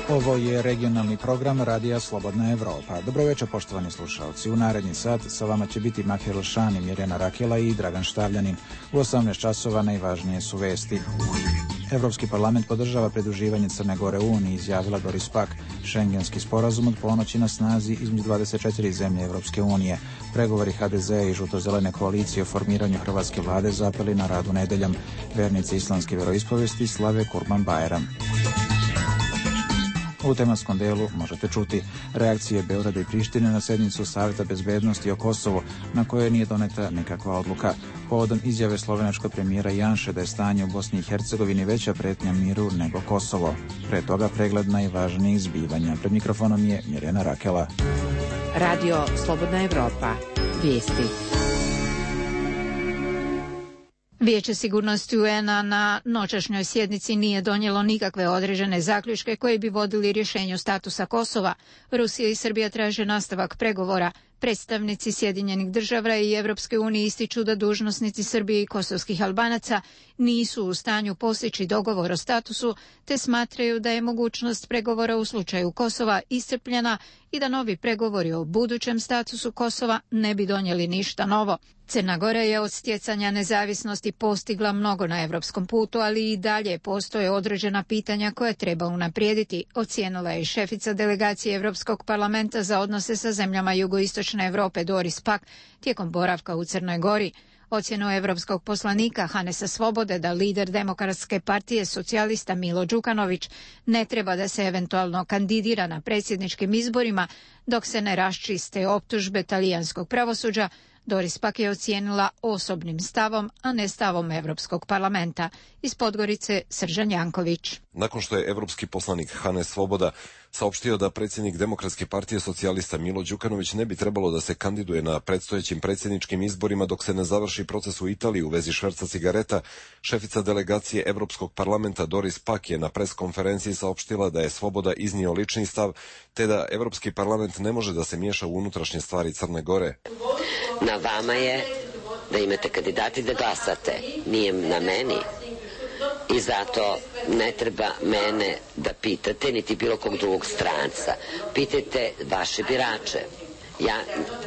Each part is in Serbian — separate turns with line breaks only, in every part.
Ovo je regionalni program Radija Slobodna Evropa. Dobro večer, poštovani slušalci. U naredni sat sa vama će biti Mahir Šani, Mirjana Rakela i Dragan Štavljanin. U 18 časova najvažnije su vesti. Evropski parlament podržava pridruživanje Crne Gore Uniji, izjavila Doris Pack. Šengenski sporazum od ponoći na snazi između 24 zemlje Evropske unije. Pregovori HDZ i žuto-zelene koalicije o formiranju hrvatske vlade zapeli na radu nedeljom. Vernici islamske veroispovesti slave Kurban Bajram. U tematskom delu možete čuti reakcije Beograda i Prištine na sednicu Saveta bezbednosti o Kosovu, na kojoj nije doneta nikakva odluka. Povodom izjave slovenačkog premijera Janše da je stanje u Bosni i Hercegovini veća pretnja miru nego Kosovo. Pre toga pregled najvažnijih zbivanja. Pred mikrofonom je Mirjana Rakela.
Radio Slobodna Evropa. Vijesti. Vijeće sigurnosti UN-a na noćašnjoj sjednici nije donijelo nikakve određene zaključke koji bi vodili rješenju statusa Kosova. Rusija i Srbija traže nastavak pregovora. Predstavnici Sjedinjenih država i Evropske unije ističu da dužnosnici Srbije i kosovskih Albanaca nisu u stanju postići dogovor o statusu, te smatraju da je mogućnost pregovora u slučaju Kosova iscrpljena i da novi pregovori o budućem statusu Kosova ne bi donijeli ništa novo. Crna Gora je od stjecanja nezavisnosti postigla mnogo na evropskom putu, ali i dalje postoje određena pitanja koje treba unaprijediti, ocijenila je šefica delegacije Evropskog parlamenta za odnose sa zemljama jugoistočne Europe Doris Pack tijekom boravka u Crnoj Gori. Ocjenu evropskog poslanika Hanesa Svobode da lider Demokratske partije socijalista Milo Đukanović ne treba da se eventualno kandidira na predsjedničkim izborima dok se ne raščiste optužbe talijanskog pravosuđa, Doris Pack je ocijenila osobnim stavom, a ne stavom Evropskog parlamenta. Iz Podgorice Sržan Janković.
Nakon što je evropski poslanik Hanes Svoboda saopštio da predsjednik Demokratske partije socijalista Milo Đukanović ne bi trebalo da se kandiduje na predstojećim predsjedničkim izborima dok se ne završi proces u Italiji u vezi šverca cigareta, šefica delegacije Evropskog parlamenta Doris Pack je na preskonferenciji saopštila da je Svoboda iznio lični stav, te da Evropski parlament ne može da se miješa u unutrašnje stvari Crne Gore.
Na vama je da imate kandidati da glasate, nije na meni. I zato ne treba mene da pitate, niti bilo kog drugog stranca. Pitajte vaše birače. Ja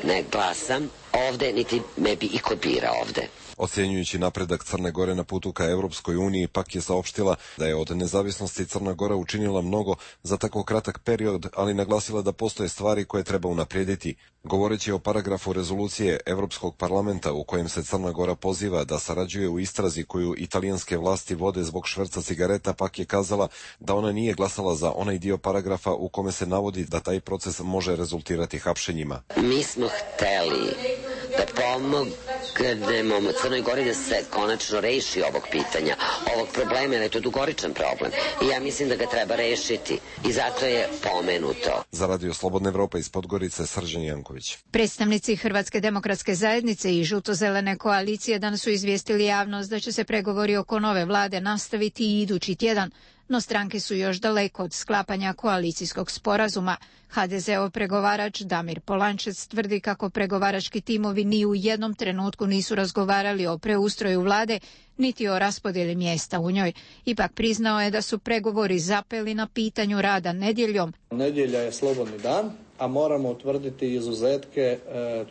ne glasam ovde, niti me bi iko bira ovde.
Ocjenjujući napredak Crne Gore na putu ka Evropskoj uniji, Pak je saopštila da je od nezavisnosti Crna Gora učinila mnogo za tako kratak period, ali naglasila da postoje stvari koje treba unaprijediti. Govoreći o paragrafu rezolucije Evropskog parlamenta u kojem se Crna Gora poziva da sarađuje u istrazi koju italijanske vlasti vode zbog šverca cigareta, Pak je kazala da ona nije glasala za onaj dio paragrafa u kome se navodi da taj proces može rezultirati hapšenjima.
Mi smo hteli da pomognemo Crnoj Gori da se konačno reši ovog pitanja, ovog problema, jer je to dugoričan problem. I ja mislim da ga treba rešiti. I zato je pomenuto.
Za Radio Slobodna Evropa iz Podgorice, Sržan Janković.
Predstavnici Hrvatske demokratske zajednice i žuto-zelene koalicije danas su izvijestili javnost da će se pregovori oko nove vlade nastaviti i idući tjedan, no stranke su još daleko od sklapanja koalicijskog sporazuma. HDZ-ov pregovarač Damir Polančec tvrdi kako pregovarački timovi ni u jednom trenutku nisu razgovarali o preustroju vlade, niti o raspodjeli mjesta u njoj. Ipak priznao je da su pregovori zapeli na pitanju rada nedjeljom.
Nedjelja je slobodni dan, a moramo utvrditi izuzetke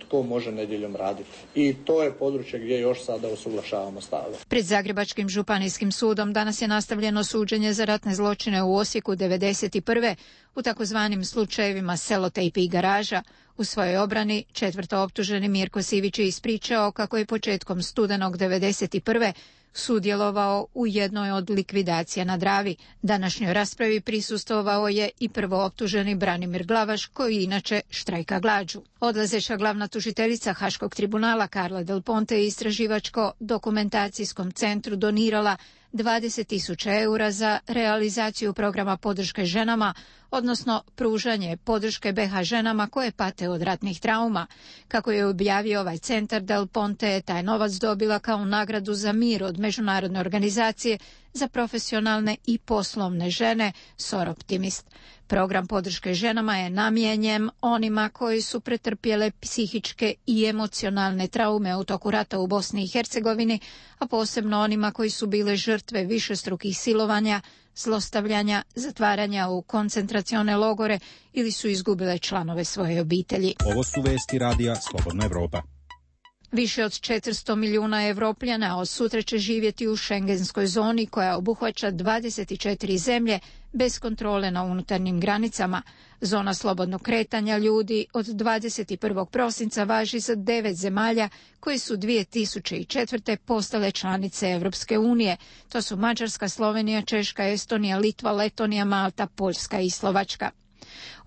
tko može nedjeljom raditi. I to je područje gdje još sada usuglašavamo stavove.
Pred Zagrebačkim županijskim sudom danas je nastavljeno suđenje za ratne zločine u Osijeku 1991. u takozvanim slučajevima Selotejp i Garaža. U svojoj obrani četvrtooptuženi Mirko Sivić je ispričao kako je početkom studenog 1991. sudjelovao u jednoj od likvidacija na Dravi. Današnjoj raspravi prisustvovao je i prvooptuženi Branimir Glavaš, koji inače štrajka glađu. Odlazeća glavna tužiteljica Haškog tribunala Carla Del Ponte je istraživačko-dokumentacijskom centru donirala 20.000 eura za realizaciju programa podrške ženama, odnosno pružanje podrške BiH ženama koje pate od ratnih trauma. Kako je objavio ovaj centar, Del Ponte je taj novac dobila kao nagradu za mir od međunarodne organizacije za profesionalne i poslovne žene Soroptimist. Program podrške ženama je namijenjen onima koji su pretrpjele psihičke i emocionalne traume u toku rata u Bosni i Hercegovini, a posebno onima koji su bile žrtve višestrukih silovanja, zlostavljanja, zatvaranja u koncentracione logore ili su izgubile članove svoje obitelji.
Ovo su vesti radija Slobodna Evropa.
Više od 400 milijuna Evropljana od sutra će živjeti u šengenskoj zoni koja obuhvaća 24 zemlje bez kontrole na unutarnjim granicama. Zona slobodnog kretanja ljudi od 21. prosinca važi za 9 zemalja koje su 2004. postale članice Evropske unije. To su Mađarska, Slovenija, Češka, Estonija, Litva, Letonija, Malta, Poljska i Slovačka.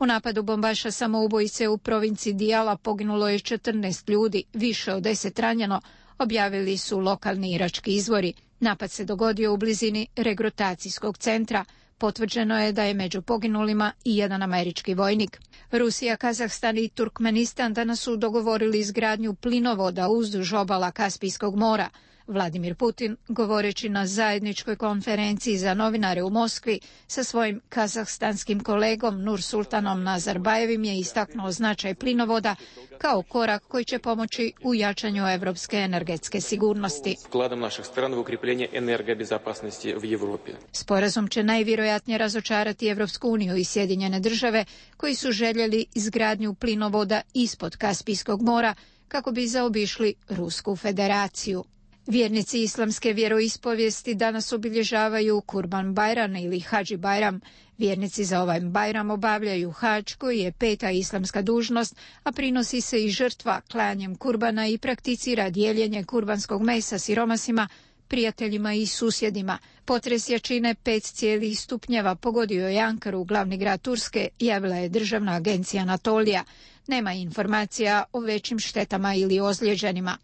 U napadu bombaša samoubojice u provinciji Dijala poginulo je 14 ljudi, više od 10 ranjeno, objavili su lokalni irački izvori. Napad se dogodio u blizini regrutacijskog centra. Potvrđeno je da je među poginulima i jedan američki vojnik. Rusija, Kazahstan i Turkmenistan danas su dogovorili izgradnju plinovoda uzduž obala Kaspijskog mora. Vladimir Putin, govoreći na zajedničkoj konferenciji za novinare u Moskvi sa svojim kazahstanskim kolegom Nursultanom Nazarbajevim, je istaknuo značaj plinovoda kao korak koji će pomoći u jačanju evropske energetske sigurnosti. Sporazum će najvjerojatnije razočarati Evropsku uniju i Sjedinjene države koji su željeli izgradnju plinovoda ispod Kaspijskog mora kako bi zaobišli Rusku federaciju. Vjernici islamske vjeroispovijesti danas obilježavaju Kurban Bajram ili Hadži Bajram. Vjernici za ovaj Bajram obavljaju hadž koji je 5. islamska dužnost, a prinosi se i žrtva klanjem kurbana i prakticira dijeljenje kurbanskog mesa siromasima, prijateljima i susjedima. Potres jačine 5 stupnjeva pogodio je Ankaru, glavni grad Turske, javila je državna agencija Anatolija. Nema informacija o većim štetama ili ozlijeđenima.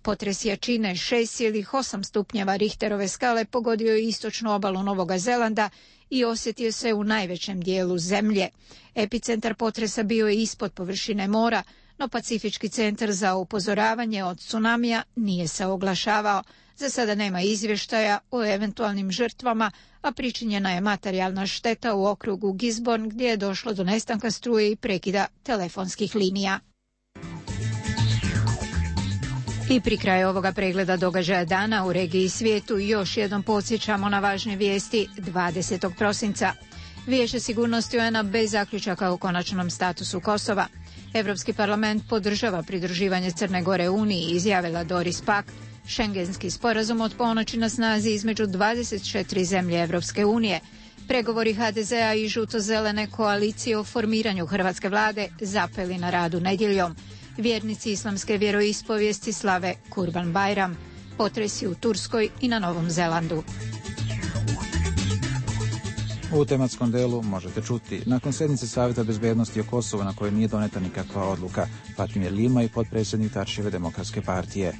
Potres jačine 6,8 stupnjeva Richterove skale pogodio je istočnu obalu Novoga Zelanda i osjetio se u najvećem dijelu zemlje. Epicentar potresa bio je ispod površine mora, no Pacifički centar za upozoravanje od tsunamija nije se oglašavao. Za sada nema izvještaja o eventualnim žrtvama, a pričinjena je materijalna šteta u okrugu Gisborne gdje je došlo do nestanka struje i prekida telefonskih linija. I pri kraju ovoga pregleda događaja dana u regiji i svijetu još jednom podsjećamo na važne vijesti 20. prosinca. Vijeće sigurnosti UN-a bez zaključaka o konačnom statusu Kosova. Europski parlament podržava pridruživanje Crne Gore Uniji, izjavila Doris Pack. Šengenski sporazum od ponoći na snazi između 24 zemlje Evropske unije. Pregovori HDZ-a i žuto-zelene koalicije o formiranju hrvatske vlade zapeli na radu nedjeljom. Vjernici islamske vjeroispovijesti slave Kurban Bajram. Potresi u Turskoj i na Novom Zelandu.
U tematskom delu možete čuti: nakon sjednice Savjeta bezbednosti o Kosovu na kojoj nije doneta nikakva odluka, Fatimir Lima i potpredsjednik Tačijeve demokratske partije.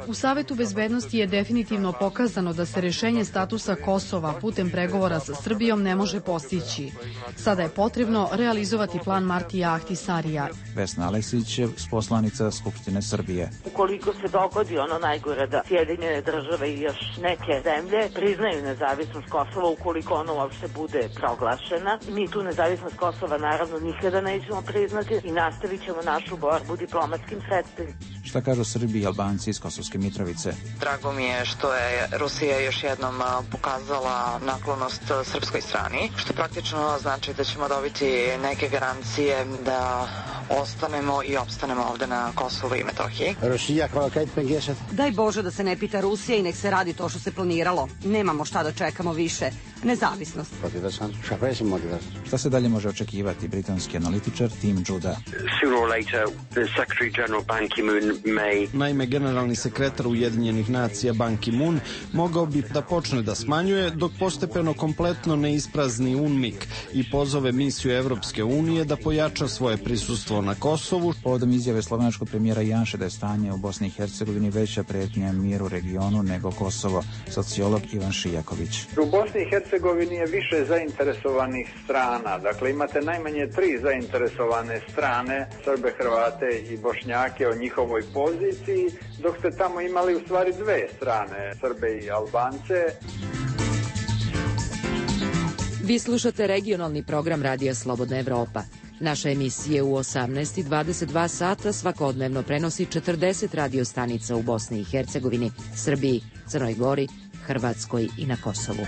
U Savjetu bezbednosti je definitivno pokazano da se rješenje statusa Kosova putem pregovora sa Srbijom ne može postići. Sada je potrebno realizovati plan Martija Ahtisarija.
Vesna Aleksić je poslanica Skupštine Srbije.
Ukoliko se dogodi ono najgore da Sjedinjene države i još neke zemlje priznaju nezavisnost Kosova, ukoliko ono uopšte bude proglašena, mi tu nezavisnost Kosova naravno nikada nećemo priznati i nastavit ćemo našu borbu diplomatskim sredstvima.
Šta kažu Srbi i Albanci iz Kosovske Mitrovice?
Drago mi je što je Rusija još jednom pokazala naklonost srpskoj strani, što praktično znači da ćemo dobiti neke garancije da ostanemo i opstanemo ovde na Kosovu i Metohiji.
Daj Bože da se ne pita Rusija i nek se radi to što se planiralo. Nemamo šta da čekamo više. Nezavisnost.
Šta se dalje može očekivati? Britanski analitičar Tim Judah.
Naime, generalni sekretar Ujedinjenih nacija Ban Ki-moon mogao bi da počne da smanjuje dok postepeno kompletno ne isprazni UNMIK i pozove misiju Evropske unije da pojača svoje prisustvo na Kosovu.
Povodom izjave slovenačkog premijera Janše da je stanje u Bosni i Hercegovini veća pretnja miru u regionu nego Kosovo, sociolog Ivan Šijaković.
U Bosni i Hercegovini je više zainteresovanih strana. Dakle, imate najmanje 3 zainteresovane strane, Srbe, Hrvate i Bošnjake o njihovoj poziciji, dok ste tamo imali u stvari 2 strane, Srbe i Albance.
Vi slušate regionalni program Radija Slobodna Evropa. Naša emisija u 18 i 22 sata svakodnevno prenosi 40 radio stanica u Bosni i Hercegovini, Srbiji, Crnoj Gori, Hrvatskoj i na Kosovu.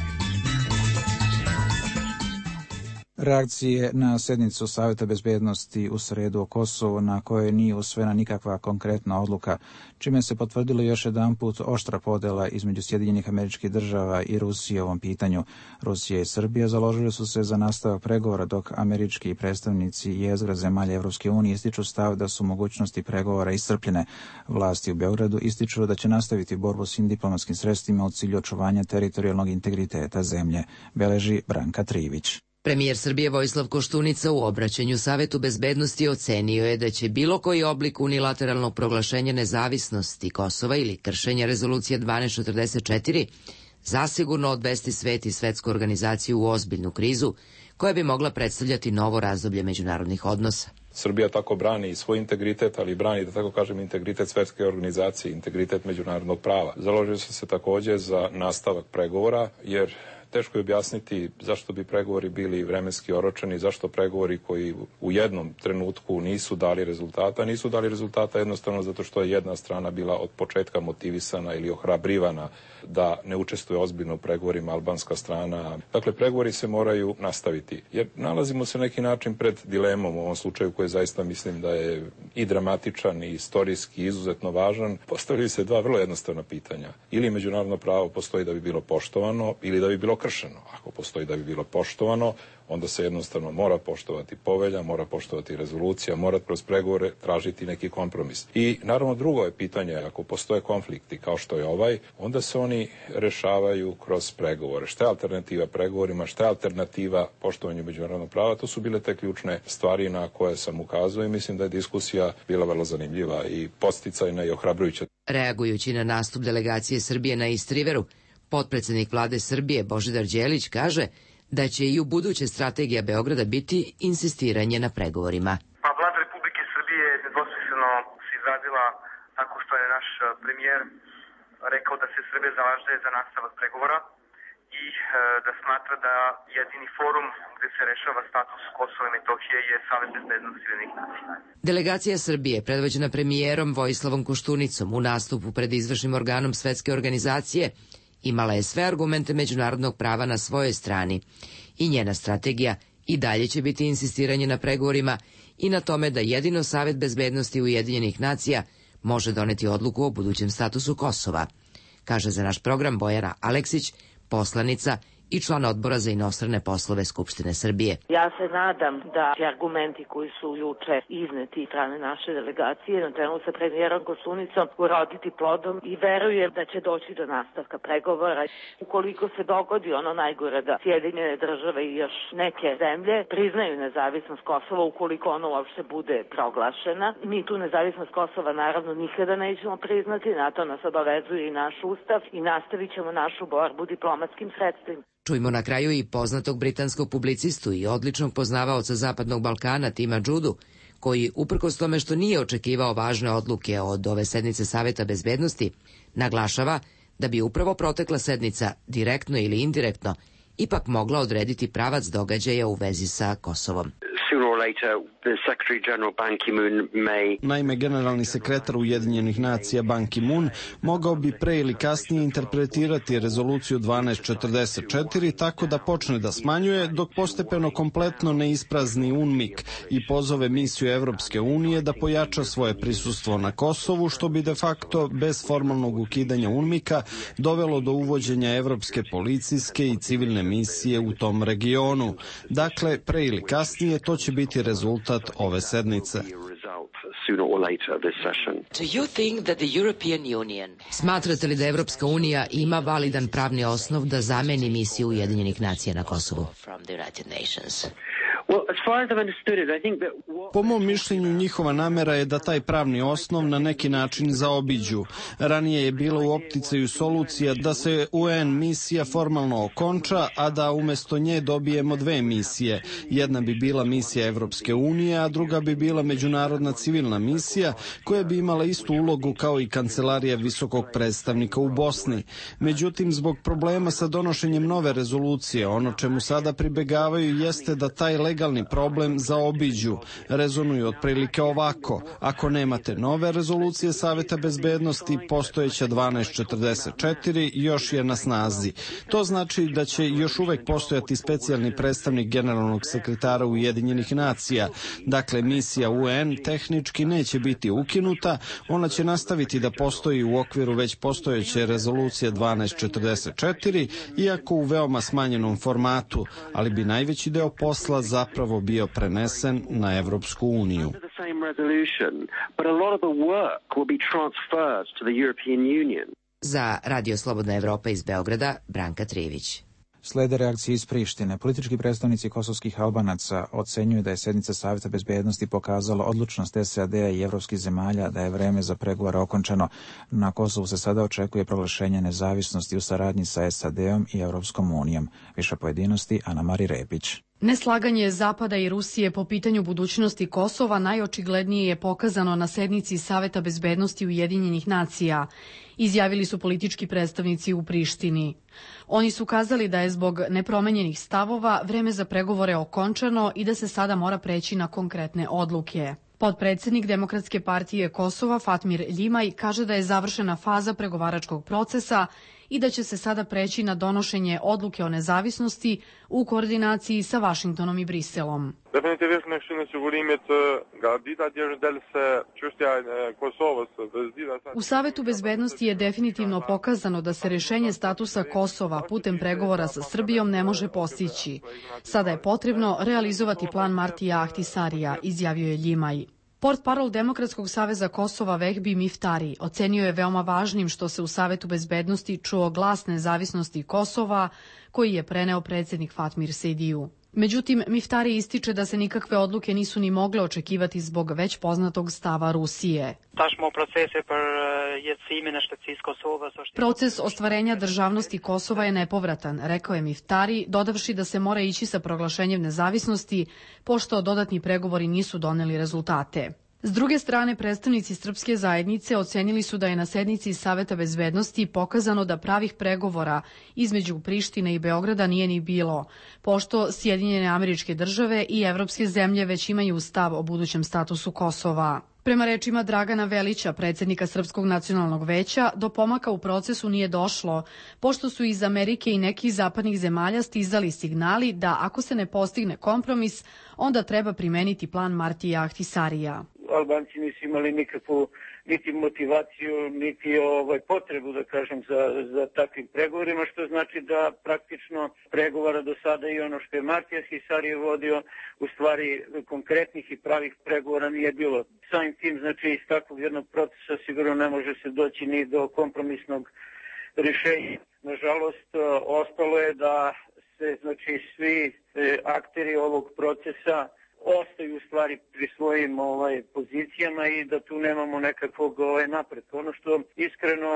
Reakcije na sjednicu Saveta bezbednosti u sredu o Kosovu, na kojoj nije usvojena nikakva konkretna odluka, čime se potvrdilo još jedanput oštra podela između Sjedinjenih Američkih Država i Rusije u ovom pitanju. Rusija i Srbija založili su se za nastavak pregovora, dok američki predstavnici jezgra zemalja Evropske unije ističu stav da su mogućnosti pregovora iscrpljene. Vlasti u Beogradu ističu da će nastaviti borbu svim diplomatskim sredstvima u cilju očuvanja teritorijalnog integriteta zemlje, beleži Branka Trivić.
Premijer Srbije Vojislav Koštunica u obraćanju Savetu bezbednosti ocenio je da će bilo koji oblik unilateralnog proglašenja nezavisnosti Kosova ili kršenja rezolucije 1244 zasigurno odvesti svet i svetsku organizaciju u ozbiljnu krizu koja bi mogla predstavljati novo razdoblje međunarodnih odnosa.
Srbija tako brani svoj integritet, ali brani, da tako kažem, integritet svetske organizacije, integritet međunarodnog prava. Založili su se takođe za nastavak pregovora, jer teško je objasniti zašto bi pregovori bili vremenski oročeni, zašto pregovori koji u jednom trenutku nisu dali rezultata. Nisu dali rezultata jednostavno zato što je jedna strana bila od početka motivisana ili ohrabrivana da ne učestvuje ozbiljno u pregovorima, albanska strana. Dakle, pregovori se moraju nastaviti, jer nalazimo se na neki način pred dilemom u ovom slučaju koji zaista mislim da je i dramatičan i istorijski izuzetno važan. Postavljaju se dva vrlo jednostavna pitanja. Ili međunarodno pravo postoji da bi bilo poštovano ili da bi bilo kršeno. Ako postoji da bi bilo poštovano, onda se jednostavno mora poštovati povelja, mora poštovati rezolucija, mora kroz pregovore tražiti neki kompromis. I naravno drugo je pitanje, ako postoje konflikti kao što je ovaj, onda se oni rešavaju kroz pregovore. Šta je alternativa pregovorima, šta je alternativa poštovanju međunarodnog prava, to su bile te ključne stvari na koje sam ukazao i mislim da je diskusija bila vrlo zanimljiva i podsticajna i ohrabrujuća.
Reagujući na nastup delegacije Srbije na Istriveru, potpredsednik vlade Srbije Božidar Đelić kaže da će i u buduće strategija Beograda biti insistiranje na pregovorima.
Pa vlada Republike Srbije je nedvosmisleno se izrazila tako što je naš premijer rekao da se Srbija zalaže za nastavak pregovora i da smatra da jedini forum gde se rešava status Kosova i Metohije je Savet bezbednosti Ujedinjenih nacija.
Delegacija Srbije, predvođena premijerom Vojislavom Koštunicom u nastupu pred izvršnim organom Svetske organizacije, imala je sve argumente međunarodnog prava na svojoj strani i njena strategija i dalje će biti insistiranje na pregovorima i na tome da jedino Savet bezbednosti Ujedinjenih nacija može doneti odluku o budućem statusu Kosova, kaže za naš program Bojana Aleksić, poslanica i član odbora za inostrane poslove Skupštine Srbije.
Ja se nadam da će argumenti koji su juče izneti strane naše delegacije na čelu sa premijerom Koštunicom uroditi plodom i verujem da će doći do nastavka pregovora. Ukoliko se dogodi ono najgore da Sjedinjene države i još neke zemlje priznaju nezavisnost Kosova, ukoliko ono uopšte bude proglašena, mi tu nezavisnost Kosova naravno nikada nećemo priznati, na to nas obavezuje i naš ustav i nastavit ćemo našu borbu diplomatskim sredstvima.
Čujmo na kraju i poznatog britanskog publicistu i odličnog poznavaoca Zapadnog Balkana Tima Džudu, koji, uprkos tome što nije očekivao važne odluke od ove sednice Saveta bezbednosti, naglašava da bi upravo protekla sednica, direktno ili indirektno, ipak mogla odrediti pravac događaja u vezi sa Kosovom.
Naime, generalni sekretar Ujedinjenih nacija Ban Ki-moon mogao bi pre ili kasnije interpretirati rezoluciju 1244 tako da počne da smanjuje dok postepeno kompletno ne isprazni UNMIK i pozove misiju Evropske unije da pojača svoje prisustvo na Kosovu, što bi de facto bez formalnog ukidanja UNMIK-a dovelo do uvođenja evropske policijske i civilne misije u tom regionu. Dakle, pre ili kasnije to će biti rezultat ove sednice.
Smatrate li da Evropska unija ima validan pravni osnov da zameni misiju Ujedinjenih nacija na Kosovu?
Po mom mišljenju njihova namera je da taj pravni osnov na neki način zaobiđu. Ranije je bila u opticaju solucija da se UN misija formalno okonča, a da umesto nje dobijemo dve misije. Jedna bi bila misija Evropske unije, a druga bi bila međunarodna civilna misija koja bi imala istu ulogu kao i kancelarija visokog predstavnika u Bosni. Međutim, zbog problema sa donošenjem nove rezolucije, ono čemu sada pribegavaju jeste da taj legalni legalni problem zaobiđu. Rezonuju otprilike ovako: ako nemate nove rezolucije Saveta bezbednosti, postojeća 1244 još je na snazi. To znači da će još uvek postojati specijalni predstavnik generalnog sekretara Ujedinjenih nacija. Dakle, misija UN tehnički neće biti ukinuta, ona će nastaviti da postoji u okviru već postojeće rezolucije 1244, iako u veoma smanjenom formatu, ali bi najveći deo posla zapravo bio prenesen na Evropsku uniju.
Za Radio Slobodna Evropa iz Beograda, Branka Trivić.
Slede reakcije iz Prištine. Politički predstavnici kosovskih Albanaca ocenjuju da je sednica Saveta bezbednosti pokazala odlučnost SAD-a i evropskih zemalja da je vreme za pregovore okončano. Na Kosovu se sada očekuje proglašenje nezavisnosti u saradnji sa SAD-om i Evropskom unijom. Više pojedinosti, Ana Mari Repić.
Neslaganje Zapada i Rusije po pitanju budućnosti Kosova najočiglednije je pokazano na sednici Saveta bezbednosti Ujedinjenih nacija, izjavili su politički predstavnici u Prištini. Oni su kazali da je zbog nepromenjenih stavova vreme za pregovore okončano i da se sada mora preći na konkretne odluke. Potpredsednik Demokratske partije Kosova Fatmir Ljimaj kaže da je završena faza pregovaračkog procesa i da će se sada preći na donošenje odluke o nezavisnosti u koordinaciji sa Vašingtonom i Briselom. U Savetu bezbednosti je definitivno pokazano da se rešenje statusa Kosova putem pregovora sa Srbijom ne može postići. Sada je potrebno realizovati plan Martija Ahtisarija, izjavio je Ljimaj. Portparol Demokratskog saveza Kosova Vehbi Miftari ocenio je veoma važnim što se u Savetu bezbednosti čuo glas nezavisnosti Kosova koji je preneo predsednik Fatmir Sejdiju. Međutim, Miftari ističe da se nikakve odluke nisu ni mogle očekivati zbog već poznatog stava Rusije. Proces ostvarenja državnosti Kosova je nepovratan, rekao je Miftari, dodavši da se mora ići sa proglašenjem nezavisnosti, pošto dodatni pregovori nisu doneli rezultate. S druge strane, predstavnici srpske zajednice ocenili su da je na sednici Saveta bezbednosti pokazano da pravih pregovora između Prištine i Beograda nije ni bilo, pošto Sjedinjene Američke Države i evropske zemlje već imaju stav o budućem statusu Kosova. Prema rečima Dragana Velića, predsednika Srpskog nacionalnog veća, do pomaka u procesu nije došlo, pošto su iz Amerike i nekih zapadnih zemalja stizali signali da ako se ne postigne kompromis, onda treba primeniti plan Martija Ahtisarija.
Albanci nisu imali nikakvu niti motivaciju, niti potrebu, da kažem, za takvim pregovorima, što znači da praktično pregovora do sada i ono što je Martija Ahtisarije vodio, u stvari konkretnih i pravih pregovora nije bilo. Samim tim, znači, iz takvog jednog procesa sigurno ne može se doći ni do kompromisnog rješenja. Nažalost, ostalo je da se, znači, svi akteri ovog procesa ostaju u stvari pri svojim pozicijama i da tu nemamo nekakvog napretka. Ono što iskreno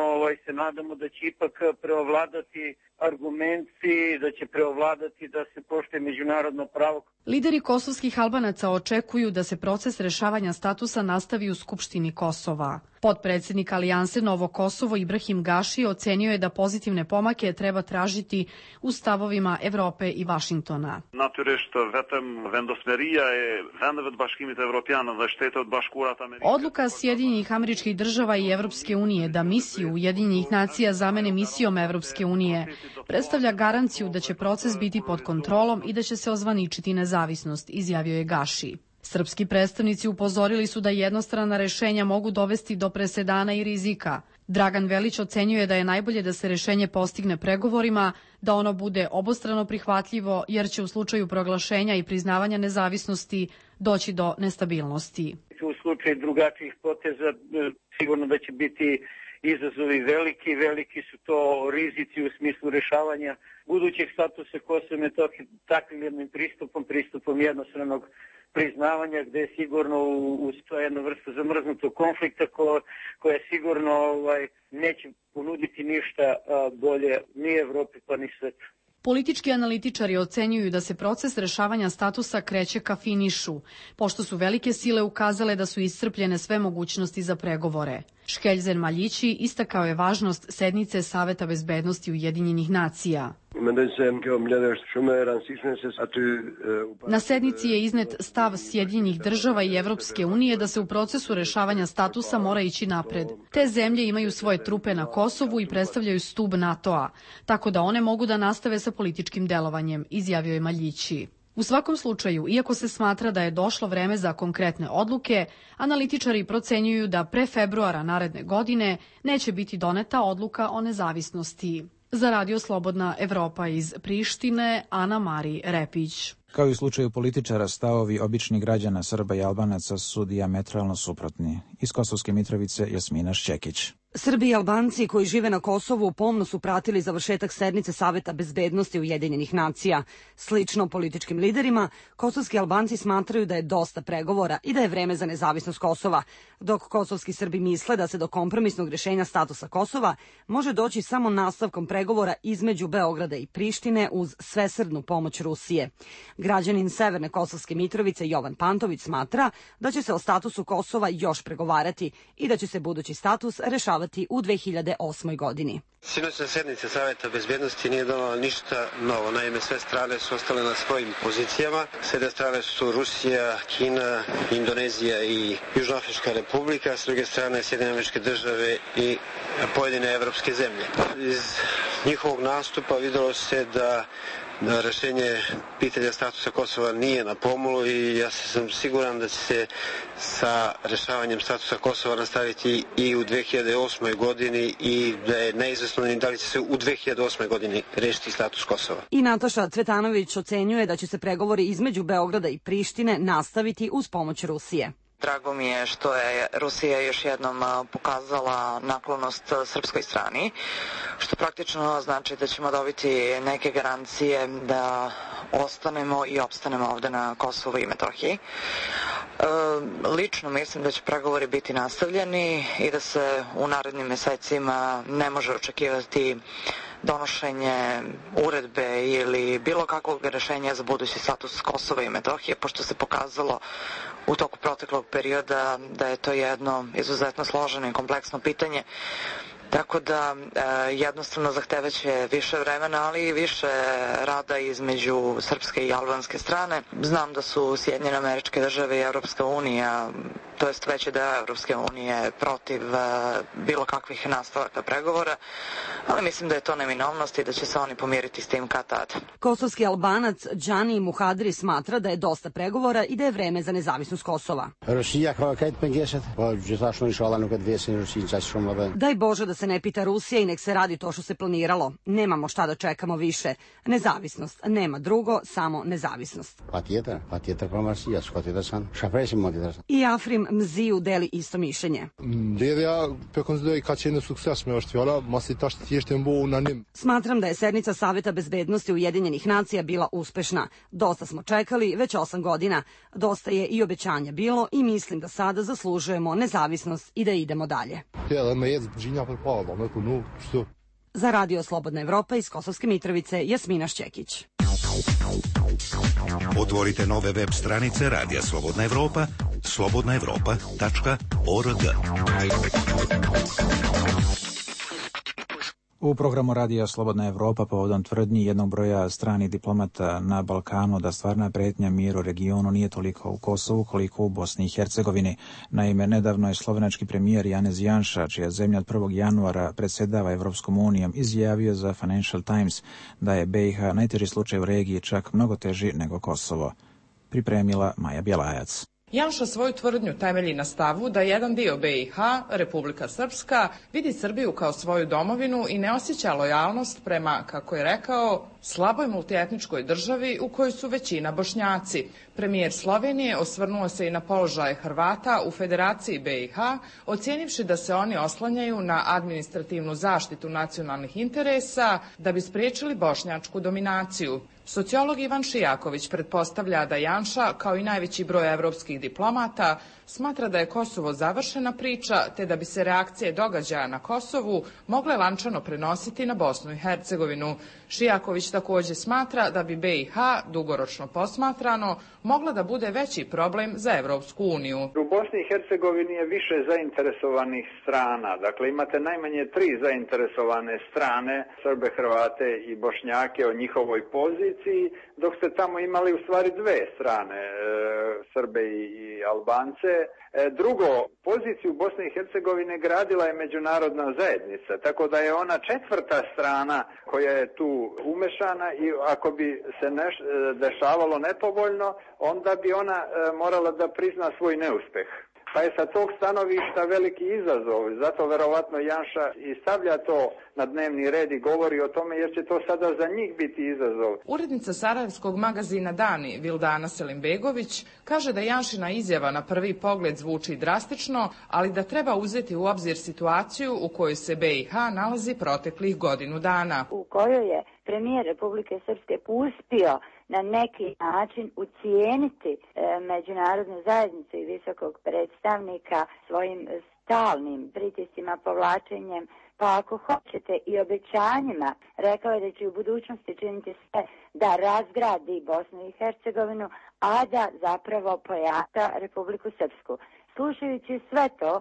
se nadamo da će ipak preovladati argumenti, da će preovladati da se poštuje međunarodno pravo.
Lideri kosovskih Albanaca očekuju da se proces rešavanja statusa nastavi u Skupštini Kosova. Potpredsednik Alijanse Novo Kosovo Ibrahim Gaši ocenio je da pozitivne pomake treba tražiti u stavovima Evrope i Vašingtona. Odluka Sjedinjenih Američkih Država i Evropske unije da misiju Ujedinjenih nacija zamene misijom Evropske unije predstavlja garanciju da će proces biti pod kontrolom i da će se ozvaničiti nezavisnost, izjavio je Gaši. Srpski predstavnici upozorili su da jednostrana rešenja mogu dovesti do presedana i rizika. Dragan Velić ocenjuje da je najbolje da se rešenje postigne pregovorima, da ono bude obostrano prihvatljivo, jer će u slučaju proglašenja i priznavanja nezavisnosti doći do nestabilnosti.
U slučaju drugačijih poteza sigurno da će biti izazovi veliki su to rizici u smislu rešavanja budućeg statusa Kosova i Metohije takvim jednim pristupom jednostranog priznavanja, gde je sigurno uz to jedna vrsta zamrznutog konflikta koja sigurno neće ponuditi ništa bolje ni Evropi pa ni svetu.
Politički analitičari ocenjuju da se proces rešavanja statusa kreće ka finišu, pošto su velike sile ukazale da su iscrpljene sve mogućnosti za pregovore. Škeljzen Maljići istakao je važnost sednice Saveta bezbednosti Ujedinjenih nacija. Na sednici je iznet stav Sjedinjenih država i Evropske unije da se u procesu rešavanja statusa mora ići napred. Te zemlje imaju svoje trupe na Kosovu i predstavljaju stub NATO-a, tako da one mogu da nastave sa političkim delovanjem, izjavio je Maljići. U svakom slučaju, iako se smatra da je došlo vreme za konkretne odluke, analitičari procenjuju da pre februara naredne godine neće biti doneta odluka o nezavisnosti. Za Radio Slobodna Evropa iz Prištine, Ana Mari Repić.
Kao i u slučaju političara, stavovi običnih građana Srba i Albanaca su dijametralno suprotni. Iz Kosovske Mitrovice, Jasmina Šćekić.
Srbi i Albanci koji žive na Kosovu pomno su pratili završetak sednice Saveta bezbednosti Ujedinjenih nacija. Slično političkim liderima, kosovski Albanci smatraju da je dosta pregovora i da je vreme za nezavisnost Kosova, dok kosovski Srbi misle da se do kompromisnog rešenja statusa Kosova može doći samo nastavkom pregovora između Beograda i Prištine uz svesrdnu pomoć Rusije. Građanin Severne Kosovske Mitrovice Jovan Pantović smatra da će se o statusu Kosova još pregovarati i da će se budući status rešavati u 2008. godini.
Sinoćna sednica Saveta bezbednosti nije donala ništa novo. Naime, sve strane su ostale na svojim pozicijama. S jedne strane su Rusija, Kina, Indonezija i Južnoafrička republika, s druge strane Sjedinjene Američke Države i pojedine evropske zemlje. Iz njihovog nastupa videlo se da rešenje pitanja statusa Kosova nije na pomolu i ja sam siguran da će se sa rešavanjem statusa Kosova nastaviti i u 2008. godini i da je neizvesno da li će se u 2008. godini rešiti status Kosova.
I Nataša Cvetanović ocenjuje da će se pregovori između Beograda i Prištine nastaviti uz pomoć Rusije.
Drago mi je što je Rusija još jednom pokazala naklonost srpskoj strani, što praktično znači da ćemo dobiti neke garancije da ostanemo i opstanemo ovde na Kosovu i Metohiji. Lično mislim da će pregovori biti nastavljeni i da se u narednim mesecima ne može očekivati donošenje uredbe ili bilo kakvog rešenja za budući status Kosova i Metohije, pošto se pokazalo u toku proteklog perioda da je to jedno izuzetno složeno i kompleksno pitanje. Tako da jednostavno zahtevaće više vremena, ali i više rada između srpske i albanske strane. Znam da su Sjedinjene Američke Države i Evropska unija, to jest veći deo Evropske unije, protiv bilo kakvih nastavaka pregovora, ali mislim da je to neminovnost i da će se oni pomiriti s tim kad tad.
Kosovski Albanac Džani Muhadri smatra da je dosta pregovora i da je vreme za nezavisnost Kosova. Daj Bože da se ne pita Rusija i nek se radi to što se planiralo. Nemamo šta da čekamo više. Nezavisnost. Nema drugo, samo nezavisnost. I Afrim Mziju deli isto mišljenje. Smatram da je sednica Saveta bezbednosti Ujedinjenih nacija bila uspešna. Dosta smo čekali, već 8 godina. Dosta je i obećanja bilo i mislim da sada zaslužujemo nezavisnost i da idemo dalje. Za Radio Slobodna Evropa iz Kosovske Mitrovice, Jasmina Šćekić.
Otvorite nove web stranice Radija Slobodna Evropa, slobodnaevropa.org.
U programu Radija Slobodna Evropa povodom tvrdnji jednog broja stranih diplomata na Balkanu da stvarna pretnja miru u regionu nije toliko u Kosovu koliko u Bosni i Hercegovini. Naime, nedavno je slovenački premijer Janez Janša, čija zemlja od 1. januara predsjedava Evropskom unijom, izjavio za Financial Times da je BiH najteži slučaj u regiji, čak mnogo teži nego Kosovo. Pripremila Maja Bjelajac.
Janša svoju tvrdnju temelji na stavu da jedan dio BiH, Republika Srpska, vidi Srbiju kao svoju domovinu i ne osjeća lojalnost prema, kako je rekao, slaboj multietničkoj državi u kojoj su većina Bošnjaci. Premijer Slovenije osvrnuo se i na položaj Hrvata u Federaciji BiH, ocijenivši da se oni oslanjaju na administrativnu zaštitu nacionalnih interesa da bi spriječili bošnjačku dominaciju. Sociolog Ivan Šijaković pretpostavlja da Janša, kao i najveći broj evropskih diplomata, smatra da je Kosovo završena priča, te da bi se reakcije događaja na Kosovu mogle lančano prenositi na Bosnu i Hercegovinu. Šijaković takođe smatra da bi BiH dugoročno posmatrano mogla da bude veći problem za Evropsku uniju.
U Bosni i Hercegovini je više zainteresovanih strana. Dakle, imate najmanje 3 zainteresovane strane, Srbe, Hrvate i Bošnjake o njihovoj poziciji, dok ste tamo imali u stvari 2 strane, Srbe i Albance. Drugo, poziciju Bosne i Hercegovine gradila je međunarodna zajednica, tako da je ona 4. strana koja je tu umešana i ako bi se dešavalo nepovoljno, onda bi ona morala da prizna svoj neuspeh. Pa je sa tog stanovišta veliki izazov, zato verovatno Janša i stavlja to na dnevni red i govori o tome jer će to sada za njih biti izazov.
Urednica sarajevskog magazina Dani Vildana Selimbegović kaže da Janšina izjava na prvi pogled zvuči drastično, ali da treba uzeti u obzir situaciju u kojoj se BiH nalazi proteklih godinu dana.
U kojoj je premijer Republike Srpske uspio na neki način ucijeniti međunarodnu zajednicu i visokog predstavnika svojim stalnim pritiscima, povlačenjem, pa ako hoćete i obećanjima. Rekao je da će u budućnosti činiti sve da razgradi Bosnu i Hercegovinu, a da zapravo pojača Republiku Srpsku. Slušajući sve to,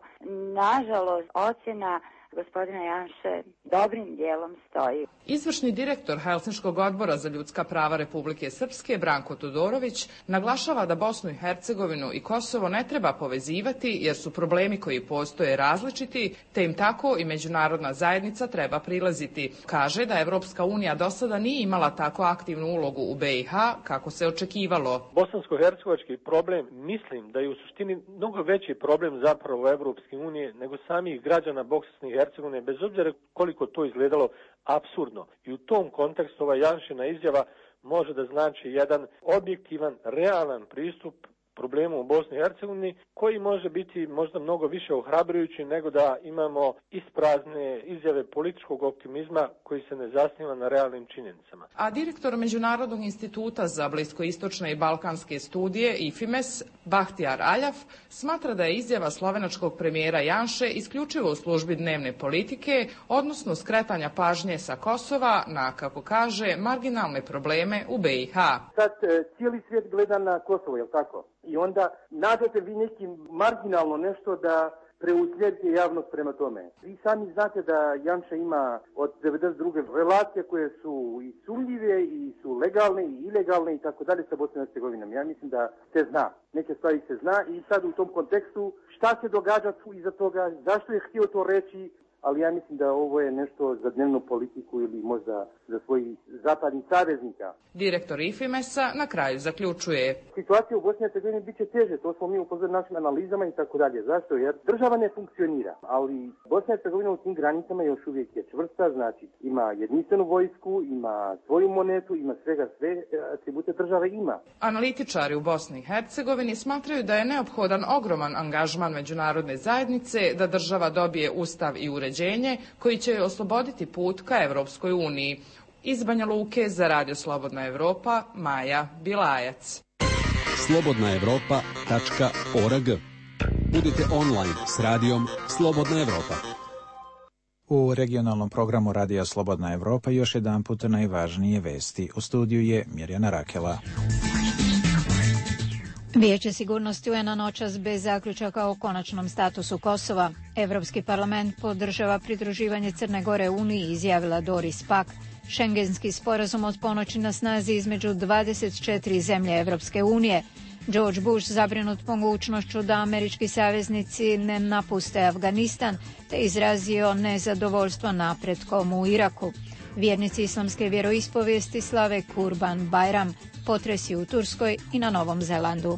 nažalost, ocjena gospodina Janše dobrim dijelom stoji.
Izvršni direktor Helsinškog odbora za ljudska prava Republike Srpske, Branko Todorović, naglašava da Bosnu i Hercegovinu i Kosovo ne treba povezivati jer su problemi koji postoje različiti, te im tako i međunarodna zajednica treba prilaziti. Kaže da Evropska unija do sada nije imala tako aktivnu ulogu u BiH kako se očekivalo.
Bosansko-hercegovački problem, mislim da je u suštini mnogo veći problem zapravo Evropske unije nego samih građana Bosne i Hercegovine, bez obzira koliko to izgledalo apsurdno. I u tom kontekstu ova Janšina izjava može da znači jedan objektivan, realan pristup problemu u Bosni i Hercegovini, koji može biti možda mnogo više ohrabrujući nego da imamo isprazne izjave političkog optimizma koji se ne zasniva na realnim činjenicama.
A direktor Međunarodnog instituta za bliskoistočne i balkanske studije IFIMES, Bahtijar Aljaf, smatra da je izjava slovenačkog premijera Janše isključivo u službi dnevne politike, odnosno skretanja pažnje sa Kosova na, kako kaže, marginalne probleme u BiH.
Sad cijeli svijet gleda na Kosovo, je li tako? I onda nađete vi nekim marginalno nešto da preusmjerite javnost prema tome. Vi sami znate da Janša ima od 92. relacije koje su i sumnjive i su legalne i ilegalne i tako dalje sa Bosnom i Hercegovinom. Ja mislim da se zna. Neke stvari se zna i sad u tom kontekstu šta se događa tu iza toga, zašto je htio to reći, ali ja mislim da ovo je nešto za dnevnu politiku ili možda za svojih zapadnih saveznika.
Direktor IFIMES-a na kraju zaključuje.
Situacija u Bosni i Hercegovini bit će teže, to smo mi upozorili našim analizama i tako dalje. Zašto? Jer država ne funkcionira, ali Bosna i Hercegovina u tim granicama još uvijek je čvrsta, znači ima jedinstvenu vojsku, ima svoju monetu, ima svega, sve atribute države ima.
Analitičari u Bosni i Hercegovini smatraju da je neophodan ogroman angažman međunarodne zajednice da država dobije ustav i uređenje koji će joj osloboditi put ka Evropskoj uniji. Iz Banja Luke za Radio Slobodna Evropa, Maja Bilajac.
slobodnaevropa.org. Budite online s radijom Slobodna Evropa.
U regionalnom programu Radija Slobodna Evropa još jedan put najvažnije vesti. U studiju je Mirjana Rakela.
Vijeće sigurnosti UN-a noćas bez zaključaka o konačnom statusu Kosova. Evropski parlament podržava pridruživanje Crne Gore Uniji, izjavila Doris Pack. Šengenski sporazum od ponoći na snazi između 24 zemlje Evropske unije. George Bush zabrinut mogućnošću da američki saveznici ne napuste Afganistan, te izrazio nezadovoljstvo napretkom u Iraku. Vjernici islamske vjeroispovijesti slave Kurban Bajram, potresi u Turskoj i na Novom Zelandu.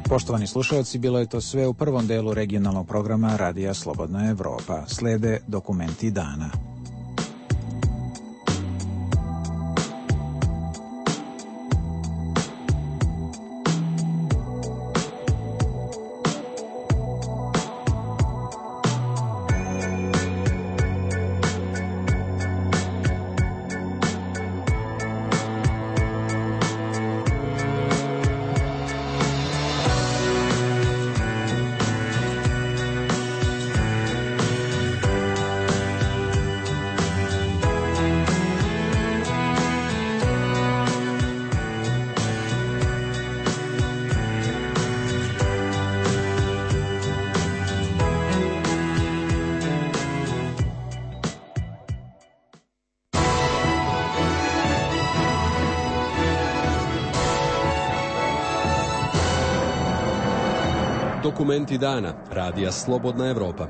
Poštovani slušalci, bilo je to sve u prvom delu regionalnog programa Radija Slobodna Evropa. Slede dokumenti dana.
Dokumenti dana. Radija Slobodna Evropa.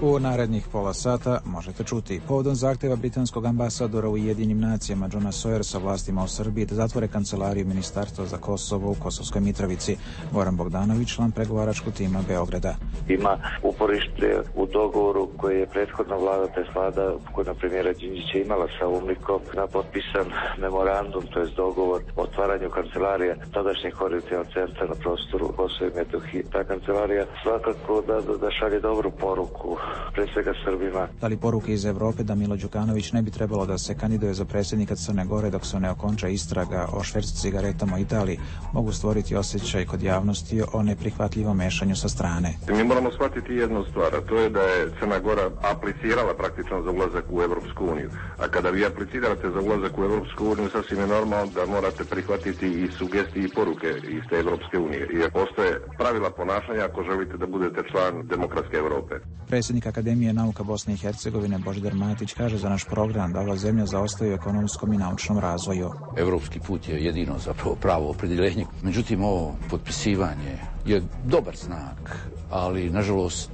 U narednih pola sata možete čuti povodom zahteva britanskog ambasadora u Ujedinjenim nacijama Johna Sawyersa vlastima u Srbiji da zatvore kancelariju Ministarstva za Kosovo u Kosovskoj Mitrovici. Goran Bogdanović, član pregovaračkog tima Beograda.
Ima uporište u dogovoru koji je prethodna vlada, tj. vlada koja premijera Đinđića imala sa UNMIK-om, na potpisan memorandum, tj. dogovor o otvaranju kancelarija tadašnjeg koordinacionog centra na prostoru Kosova i Metohije. Ta kancelarija svakako da šalje dobru poruku pre svega Srbima.
Da li poruke iz Evrope da Milo Đukanović ne bi trebalo da se kandiduje za predsjednika Crne Gore dok se ne okonča istraga o švercu cigaretama u Italiji mogu stvoriti osjećaj kod javnosti o neprihvatljivom mešanju sa strane?
Mi moramo shvatiti jednu stvar, a to je da je Crna Gora aplicirala praktično za ulazak u Evropsku uniju. A kada vi aplicirate za ulazak u Evropsku uniju, sasvim je normalno da morate prihvatiti i sugestije i poruke iz te Evropske unije. Jer postoje pravila ponašanja ako želite da budete član demokratske Evrope.
Predsjednik Akademije nauka Bosne i Hercegovine Božidar Matić kaže za naš program da ova zemlja zaostaje u ekonomskom i naučnom razvoju.
Evropski put je jedino zapravo pravo opredjeljenje. Međutim, ovo potpisivanje je dobar znak, ali nažalost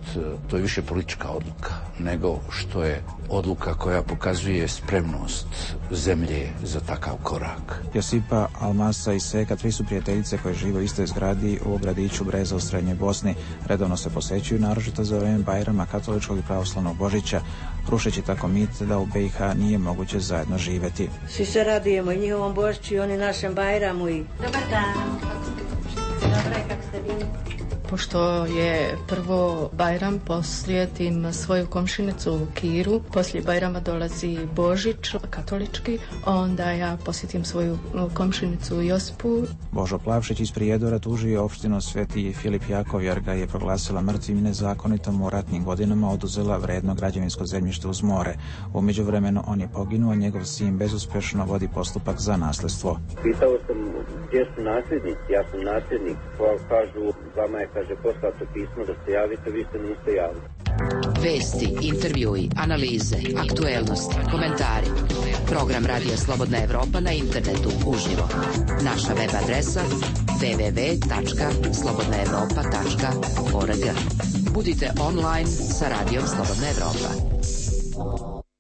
to je više politička odluka nego što je odluka koja pokazuje spremnost zemlje za takav korak.
Josipa, Almasa i Seka, tri su prijateljice koje žive u istoj zgradi u gradiću Breza u Srednjoj Bosni. Redovno se posećuju, naročito za vreme Bajrama, katoličkog i pravoslavnog Božića, rušeći tako mit da u BiH nije moguće zajedno živeti.
Svi se radujemo i njihovom Božiću i oni našem Bajramu i...
Dobar dan. Dobro je, kako ste bili?
Pošto je prvo Bajram, posjetim svoju komšinicu Kiru, poslije Bajrama dolazi Božić, katolički, onda ja posjetim svoju komšinicu Josipu.
Božo Plavšić iz Prijedora tužio opštinu Sveti Filip Jakov jer ga je proglasila mrtvim i nezakonitom u ratnim godinama oduzela vredno građevinsko zemljište uz more. U međuvremenu on je poginuo, njegov sin bezuspešno vodi postupak za nasljedstvo.
Pitao sam gdje su nasljednici, ja sam nasljednik, kažu vama je poslato pismo da se javite, vi se niste javili.
Vesti, intervjui, analize, aktuelnosti, komentari. Program Radija Slobodna Evropa na internetu uživo. Naša web adresa www.slobodnaevropa.org. Budite online sa Radijom Slobodna Evropa.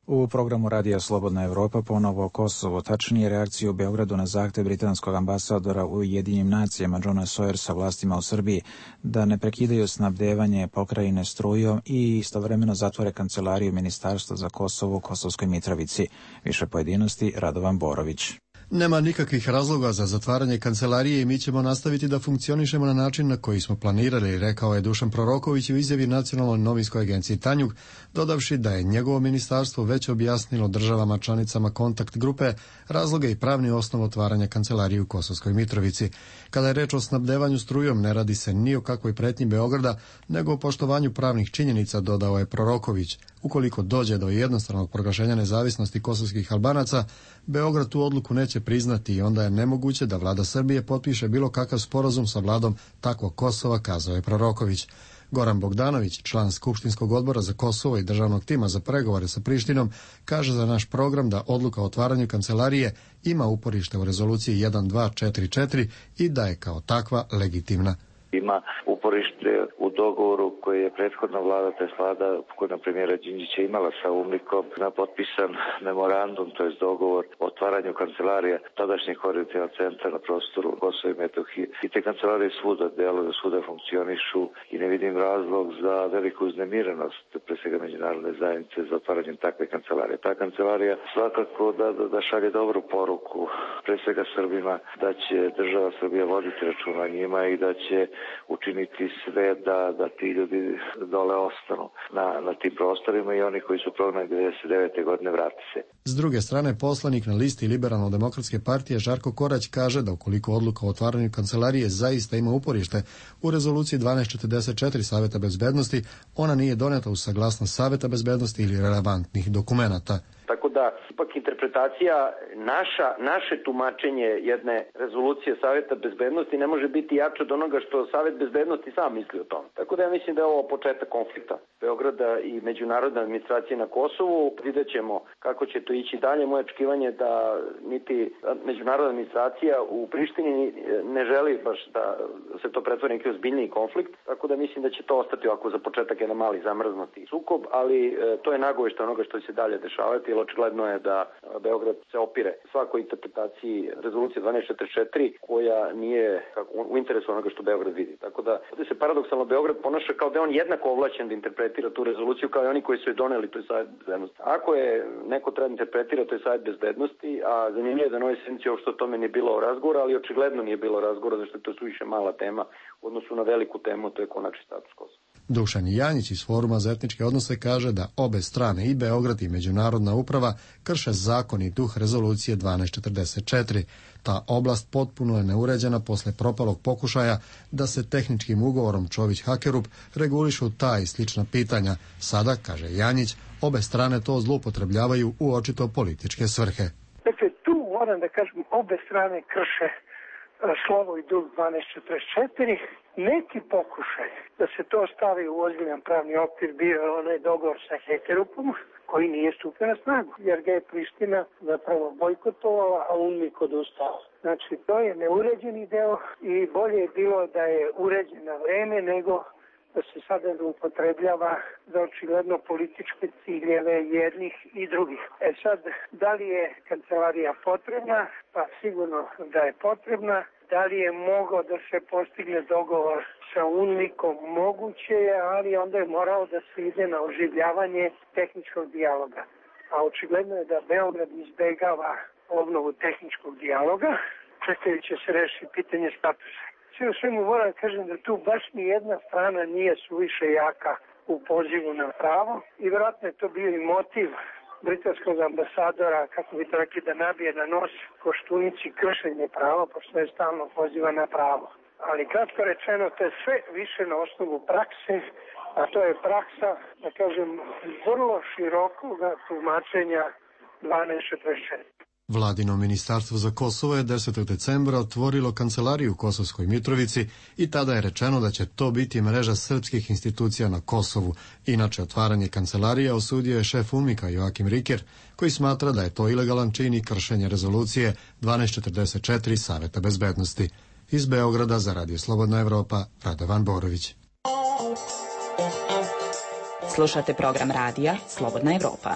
U programu Radija Slobodna Evropa ponovo Kosovo, tačnije reakciju u Beogradu na zahtev britanskog ambasadora u Ujedinjenim nacijama Johna Sawyersa vlastima u Srbiji da ne prekidaju snabdevanje pokrajine strujom i istovremeno zatvore kancelariju Ministarstva za Kosovo u Kosovskoj Mitrovici. Više pojedinosti Radovan Borović.
Nema nikakvih razloga za zatvaranje kancelarije i mi ćemo nastaviti da funkcionišemo na način na koji smo planirali, rekao je Dušan Proroković u izjavi Nacionalnoj novinskoj agenciji Tanjug, dodavši da je njegovo ministarstvo već objasnilo državama članicama kontakt grupe razloge i pravni osnov otvaranja kancelarije u Kosovskoj Mitrovici. Kada je reč o snabdevanju strujom, ne radi se ni o kakvoj pretnji Beograda, nego o poštovanju pravnih činjenica, dodao je Proroković. Ukoliko dođe do jednostranog proglašenja nezavisnosti kosovskih Albanaca, Beograd tu odluku neće priznati i onda je nemoguće da vlada Srbije potpiše bilo kakav sporazum sa vladom takvog Kosova, kazao je Proroković. Goran Bogdanović, član Skupštinskog odbora za Kosovo i državnog tima za pregovore sa Prištinom, kaže za naš program da odluka o otvaranju kancelarije ima uporište u rezoluciji 1244 i da je kao takva legitimna.
Ima uporište u dogovoru koji je prethodna vlada, tj. vlada koja premijera Đinđića imala sa UNMIK-om, na potpisan memorandum, tj. dogovor o otvaranju kancelarija tadašnjeg koordinacionog centra na prostoru Kosova i Metohije. I te kancelarije svuda deluju, svuda funkcionišu i ne vidim razlog za veliku uznemirenost pre svega međunarodne zajednice za otvaranjem takve kancelarije. Ta kancelarija svakako da šalje dobru poruku pre svega Srbima da će država Srbija voditi računa o njima i da će učiniti sve da ti ljudi dole ostanu na tim prostorima i oni koji su prognani 1999. godine vrati se.
S druge strane, poslanik na listi Liberalno-demokratske partije Žarko Korać kaže da ukoliko odluka o otvaranju kancelarije zaista ima uporište u rezoluciji 1244 Saveta bezbednosti, ona nije doneta uz saglasnost Saveta bezbednosti ili relevantnih dokumenata.
Tako da ipak interpretacija naše tumačenje jedne rezolucije Saveta bezbednosti ne može biti jače od onoga što Savet bezbednosti sam misli o tom. Tako da ja mislim da je ovo početak konflikta Beograda i međunarodne administracije na Kosovu. Vidjet ćemo kako će to ići dalje. Moje očekivanje je da niti međunarodna administracija u Prištini ne želi baš da se to pretvori neki ozbiljniji konflikt. Tako da mislim da će to ostati ovako za početak jedan mali zamrznuti sukob, ali to je nagoveštaj onoga što će se dalje dešavati, jer očigledno je da Beograd se opire svakoj interpretaciji rezolucije 1244 koja nije u interesu onoga što Beograd vidi. Tako da ovdje se paradoksalno Beograd ponaša kao da je on jednako ovlašćen da interpretira tu rezoluciju kao i oni koji su je doneli, to je Savet bezbednosti. Ako je neko treba interpretira, to je Savet bezbednosti, a zanimljivo je da na ovoj sednici uopšte o tome nije bilo razgovora, ali očigledno nije bilo razgovora, zašto je to suviše mala tema u odnosu na veliku temu, to je konačni status Kosova.
Dušan Janjić iz Foruma za etničke odnose kaže da obe strane, i Beograd i međunarodna uprava, krše zakon i duh rezolucije 1244. Ta oblast potpuno je neuređena posle propalog pokušaja da se tehničkim ugovorom Čović-Hakerup regulišu ta i slična pitanja. Sada, kaže Janjić, obe strane to zloupotrebljavaju u očito političke svrhe.
Dakle, tu moram da kažem, obe strane krše slovo i duh 1244. Neki pokušaj da se to stavi u ozbiljan pravni okvir bio je onaj dogovor sa Hakerupom, koji nije stupio na snagu, jer ga je Priština zapravo bojkotovala, a UNMIK odustao. Znači, to je neuređeni deo i bolje je bilo da je uređen na vreme nego da se sada upotrebljava za očigledno političke ciljeve jednih i drugih. Sad, da li je kancelarija potrebna? Pa sigurno da je potrebna. Da li je mogao da se postigne dogovor sa UNMIK-om? Moguće je, ali onda je morao da se ide na oživljavanje tehničkog dijaloga. A očigledno je da Beograd izbegava obnovu tehničkog dijaloga, čekajući se reši pitanje statusa. Sve u svemu moram da kažem da tu baš ni jedna strana nije suviše jaka u pozivu na pravo i vjerojatno je to bio i motiv britanskog ambasadora, kako bi to rekli, da nabije na nos Koštunici kršenje prava, pošto je stalno poziva na pravo. Ali kratko rečeno, to je sve više na osnovu prakse, a to je praksa, da kažem, vrlo širokog tumačenja 1244.
Vladino ministarstvo za Kosovo je 10. decembra otvorilo kancelariju u Kosovskoj Mitrovici i tada je rečeno da će to biti mreža srpskih institucija na Kosovu. Inače, otvaranje kancelarije osudio je šef UNMIK-a Joakim Riker, koji smatra da je to ilegalan čin i kršenje rezolucije 1244 Saveta bezbednosti. Iz Beograda za Radio Slobodna Evropa, Radovan Borović.
Slušate program radija Slobodna Evropa.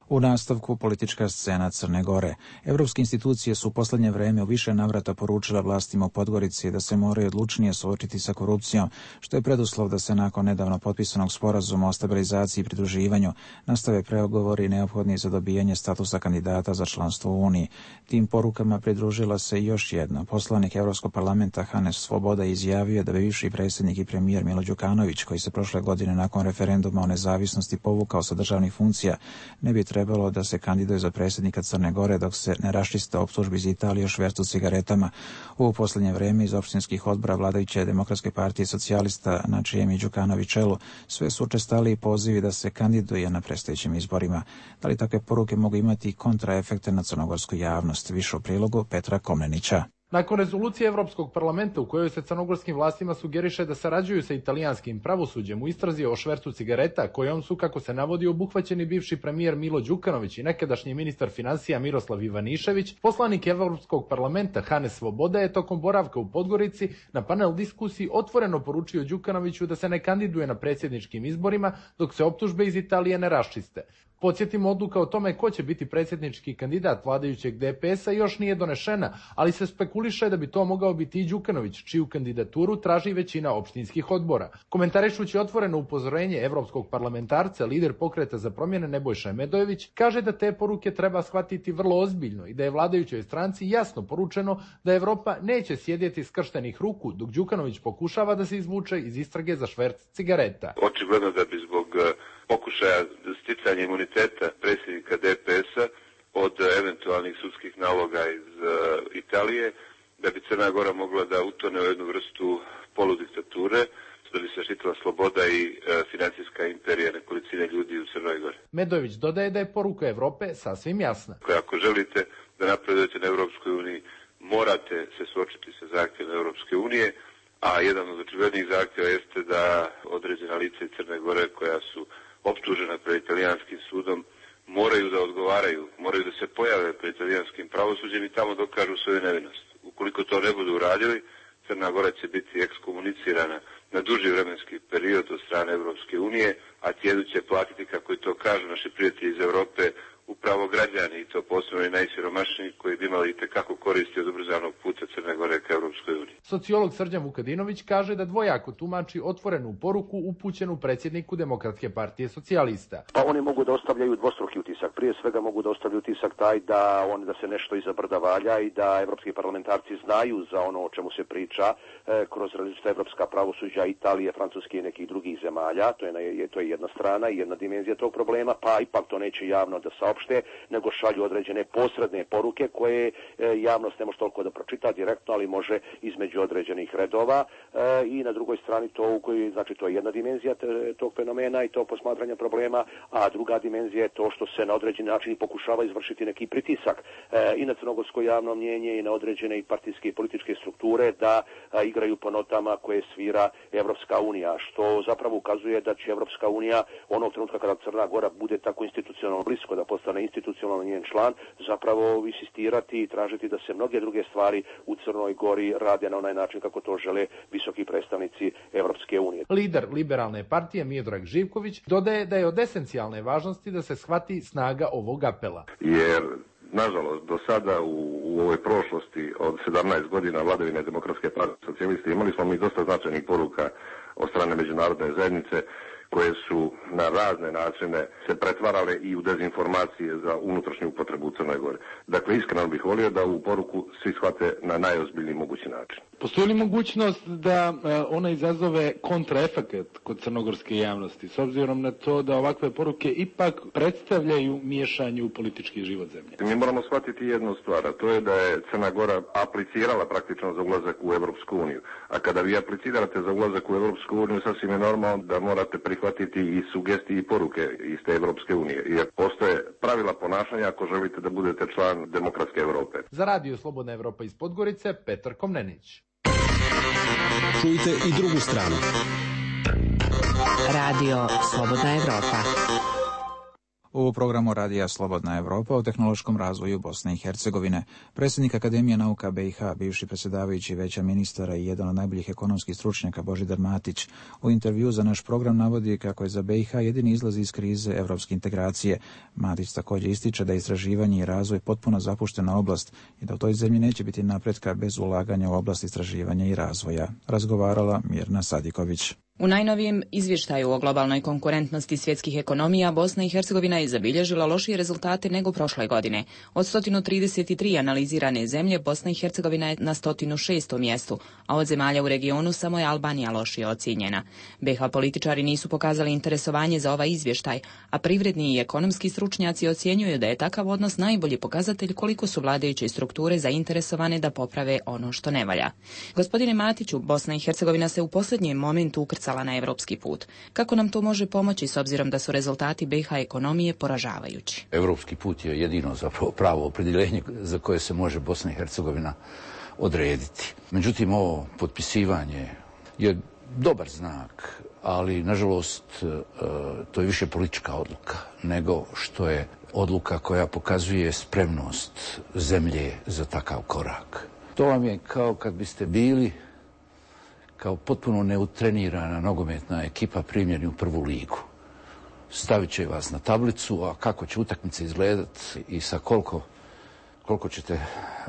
U nastavku politička scena Crne Gore. Evropske institucije su u poslednje vreme u više navrata poručile vlastima u Podgorici da se moraju odlučnije suočiti sa korupcijom, što je preduslov da se nakon nedavno potpisanog sporazuma o stabilizaciji i pridruživanju nastave pregovori neophodni za dobijanje statusa kandidata za članstvo u Uniji. Tim porukama pridružila se još jedna. Poslanik Evropskog parlamenta Hanes Svoboda izjavio da bi bivši predsjednik i premijer Milo Đukanović, koji se prošle godine nakon referenduma o nezavisnosti povukao sa državnih funkcija, ne bi trebalo da se kandiduje za predsjednika Crne Gore dok se ne raščiste optužbi iz Italije o švercu cigaretama. U posljednje vreme iz opštinskih odbora vladajuće Demokratske partije socijalista, na čijem je Đukanović čelu, sve su učestaliji pozivi da se kandiduje na predstojećim izborima. Da li takve poruke mogu imati kontraefekte na crnogorsku javnost? Više u prilogu Petra Komnenića.
Nakon rezolucije Evropskog parlamenta u kojoj se crnogorskim vlastima sugeriše da sarađuju sa italijanskim pravosuđem u istrazi o švercu cigareta, kojom su, kako se navodi, obuhvaćeni bivši premijer Milo Đukanović i nekadašnji ministar finansija Miroslav Ivanišević, poslanik Evropskog parlamenta Hanes Svoboda je tokom boravka u Podgorici na panel diskusiji otvoreno poručio Đukanoviću da se ne kandiduje na predsjedničkim izborima dok se optužbe iz Italije ne raščiste. Podsjetimo, odluka o tome ko će biti predsjednički kandidat vladajućeg DPS-a još nije donešena, ali se spekuliše da bi to mogao biti i Đukanović, čiju kandidaturu traži većina opštinskih odbora. Komentarišući otvoreno upozorenje evropskog parlamentarca, lider Pokreta za promjene Nebojša Medojević kaže da te poruke treba shvatiti vrlo ozbiljno i da je vladajućoj stranci jasno poručeno da Evropa neće sjedjeti skrštenih ruku dok Đukanović pokušava da se izvuče iz istrage za šverc cigareta.
Očigledno da bi zbog pokušaja sticanja imuniteta predsjednika DPS-a od eventualnih sudskih naloga iz Italije, da bi Crna Gora mogla da utone u jednu vrstu poludiktature. da bi se štitila sloboda i financijska imperija nekolicine ljudi u Crnoj Gori.
Medojević dodaje da je poruka Evrope sasvim jasna.
Ako želite da napredujete na Europskoj uniji, morate se suočiti sa zahtjevima Europske unije, a jedan od očiglednijih zahtjeva jeste da određena lica iz Crne Gore koja su optužena pred italijanskim sudom moraju da odgovaraju, moraju da se pojave pred italijanskim pravosuđem i tamo dokažu svoju nevinost. Ukoliko to ne budu uradili, Crna Gora će biti ekskomunicirana na duži vremenski period od strane Europske unije, a cijenu će platiti, kako i to kažu naši prijatelji iz Europe, upravo građani, i to posebno i najsiromašniji, koji bi imali itekako koristi od ubrzanog puta Crne Gore ka Europskoj uniji.
Sociolog Srđan Vukadinović kaže da dvojako tumači otvorenu poruku upućenu predsjedniku Demokratske partije socijalista.
Pa oni mogu da ostavljaju dvostruki utisak. Prije svega mogu da ostavljaju utisak taj da se nešto iza brda valja i da evropski parlamentarci znaju za ono o čemu se priča kroz različita evropska pravosuđa Italije, Francuske i nekih drugih zemalja. To je jedna strana i jedna dimenzija tog problema, pa ipak to neće javno da saopšte, nego šalju određene posredne poruke koje javnost ne može toliko da pročita direktno, ali može između određenih redova. I na drugoj strani to je jedna dimenzija tog fenomena i to posmatranja problema, a druga dimenzija je to što se na određeni način pokušava izvršiti neki pritisak i na crnogorsko javno mnjenje i na određene i partijske i političke strukture da igraju po notama koje svira Evropska unija, što zapravo ukazuje da će Evropska unija onog trenutka kada Crna Gora bude tako institucionalno blisko da postane institucionalno njen član, zapravo insistirati i tražiti da se mnoge druge stvari u Crnoj Gori rade na onaj način kako to žele visoki predstavnici Evropske unije.
Lider liberalne partije Miodrag Živković dodaje da je od esencijalne važnosti da se shvati snaga ovog apela.
Jer nažalost, do sada u ovoj prošlosti od 17 godina vladavine Demokratske partije socijaliste imali smo mi dosta značajnih poruka od strane međunarodne zajednice koje su na razne načine se pretvarale i u dezinformacije za unutrašnju upotrebu u Crnoj Gori. Dakle, iskreno bih volio da ovu poruku svi shvate na najozbiljniji mogući način.
Postoji li mogućnost da ona izazove kontraefekat kod crnogorske javnosti, s obzirom na to da ovakve poruke ipak predstavljaju miješanje u politički život zemlje?
Mi moramo shvatiti jednu stvar, a to je da je Crna Gora aplicirala praktično za ulazak u Evropsku uniju. A kada vi aplicirate za ulazak u Evropsku uniju, sasvim je normalno da morate prihvatiti i sugestije i poruke iz te Evropske unije. Jer postoje pravila ponašanja ako želite da budete član Demokratske Evrope.
Za Radio Slobodna Evropa iz Podgorice, Petar Komnenić.
Čujte i drugu stranu.
Radio Slobodna Evropa.
U programu Radija Slobodna Evropa o tehnološkom razvoju Bosne i Hercegovine. Predsjednik Akademije nauka BiH, bivši predsjedavajući Veća ministara i jedan od najboljih ekonomskih stručnjaka Božidar Matić, u intervju za naš program navodi kako je za BiH jedini izlaz iz krize evropske integracije. Matić također ističe da je istraživanje i razvoj potpuno zapuštena oblast i da u toj zemlji neće biti napretka bez ulaganja u oblast istraživanja i razvoja. Razgovarala Mirna Sadiković.
U najnovijem izvještaju o globalnoj konkurentnosti svjetskih ekonomija Bosna i Hercegovina je zabilježila lošije rezultate nego prošle godine. Od 133 analizirane zemlje Bosna i Hercegovina je na 106. mjestu, a od zemalja u regionu samo je Albanija lošije ocijenjena. BiH političari nisu pokazali interesovanje za ovaj izvještaj, a privredni i ekonomski stručnjaci ocjenjuju da je takav odnos najbolji pokazatelj koliko su vladajuće strukture zainteresovane da poprave ono što ne valja. Gospodine Matiću, Bosna i Hercegovina se u posljednjem momentu ukrcala na evropski put. Kako nam to može pomoći s obzirom da su rezultati BiH ekonomije poražavajući?
Evropski put je jedino zapravo pravo opredjeljenje za koje se može Bosna i Hercegovina odrediti. Međutim, ovo potpisivanje je dobar znak, ali nažalost to je više politička odluka nego što je odluka koja pokazuje spremnost zemlje za takav korak. To vam je kao kad biste bili kao potpuno neutrenirana nogometna ekipa primljeni u prvu ligu. Stavit će vas na tablicu, a kako će utakmica izgledati i sa koliko ćete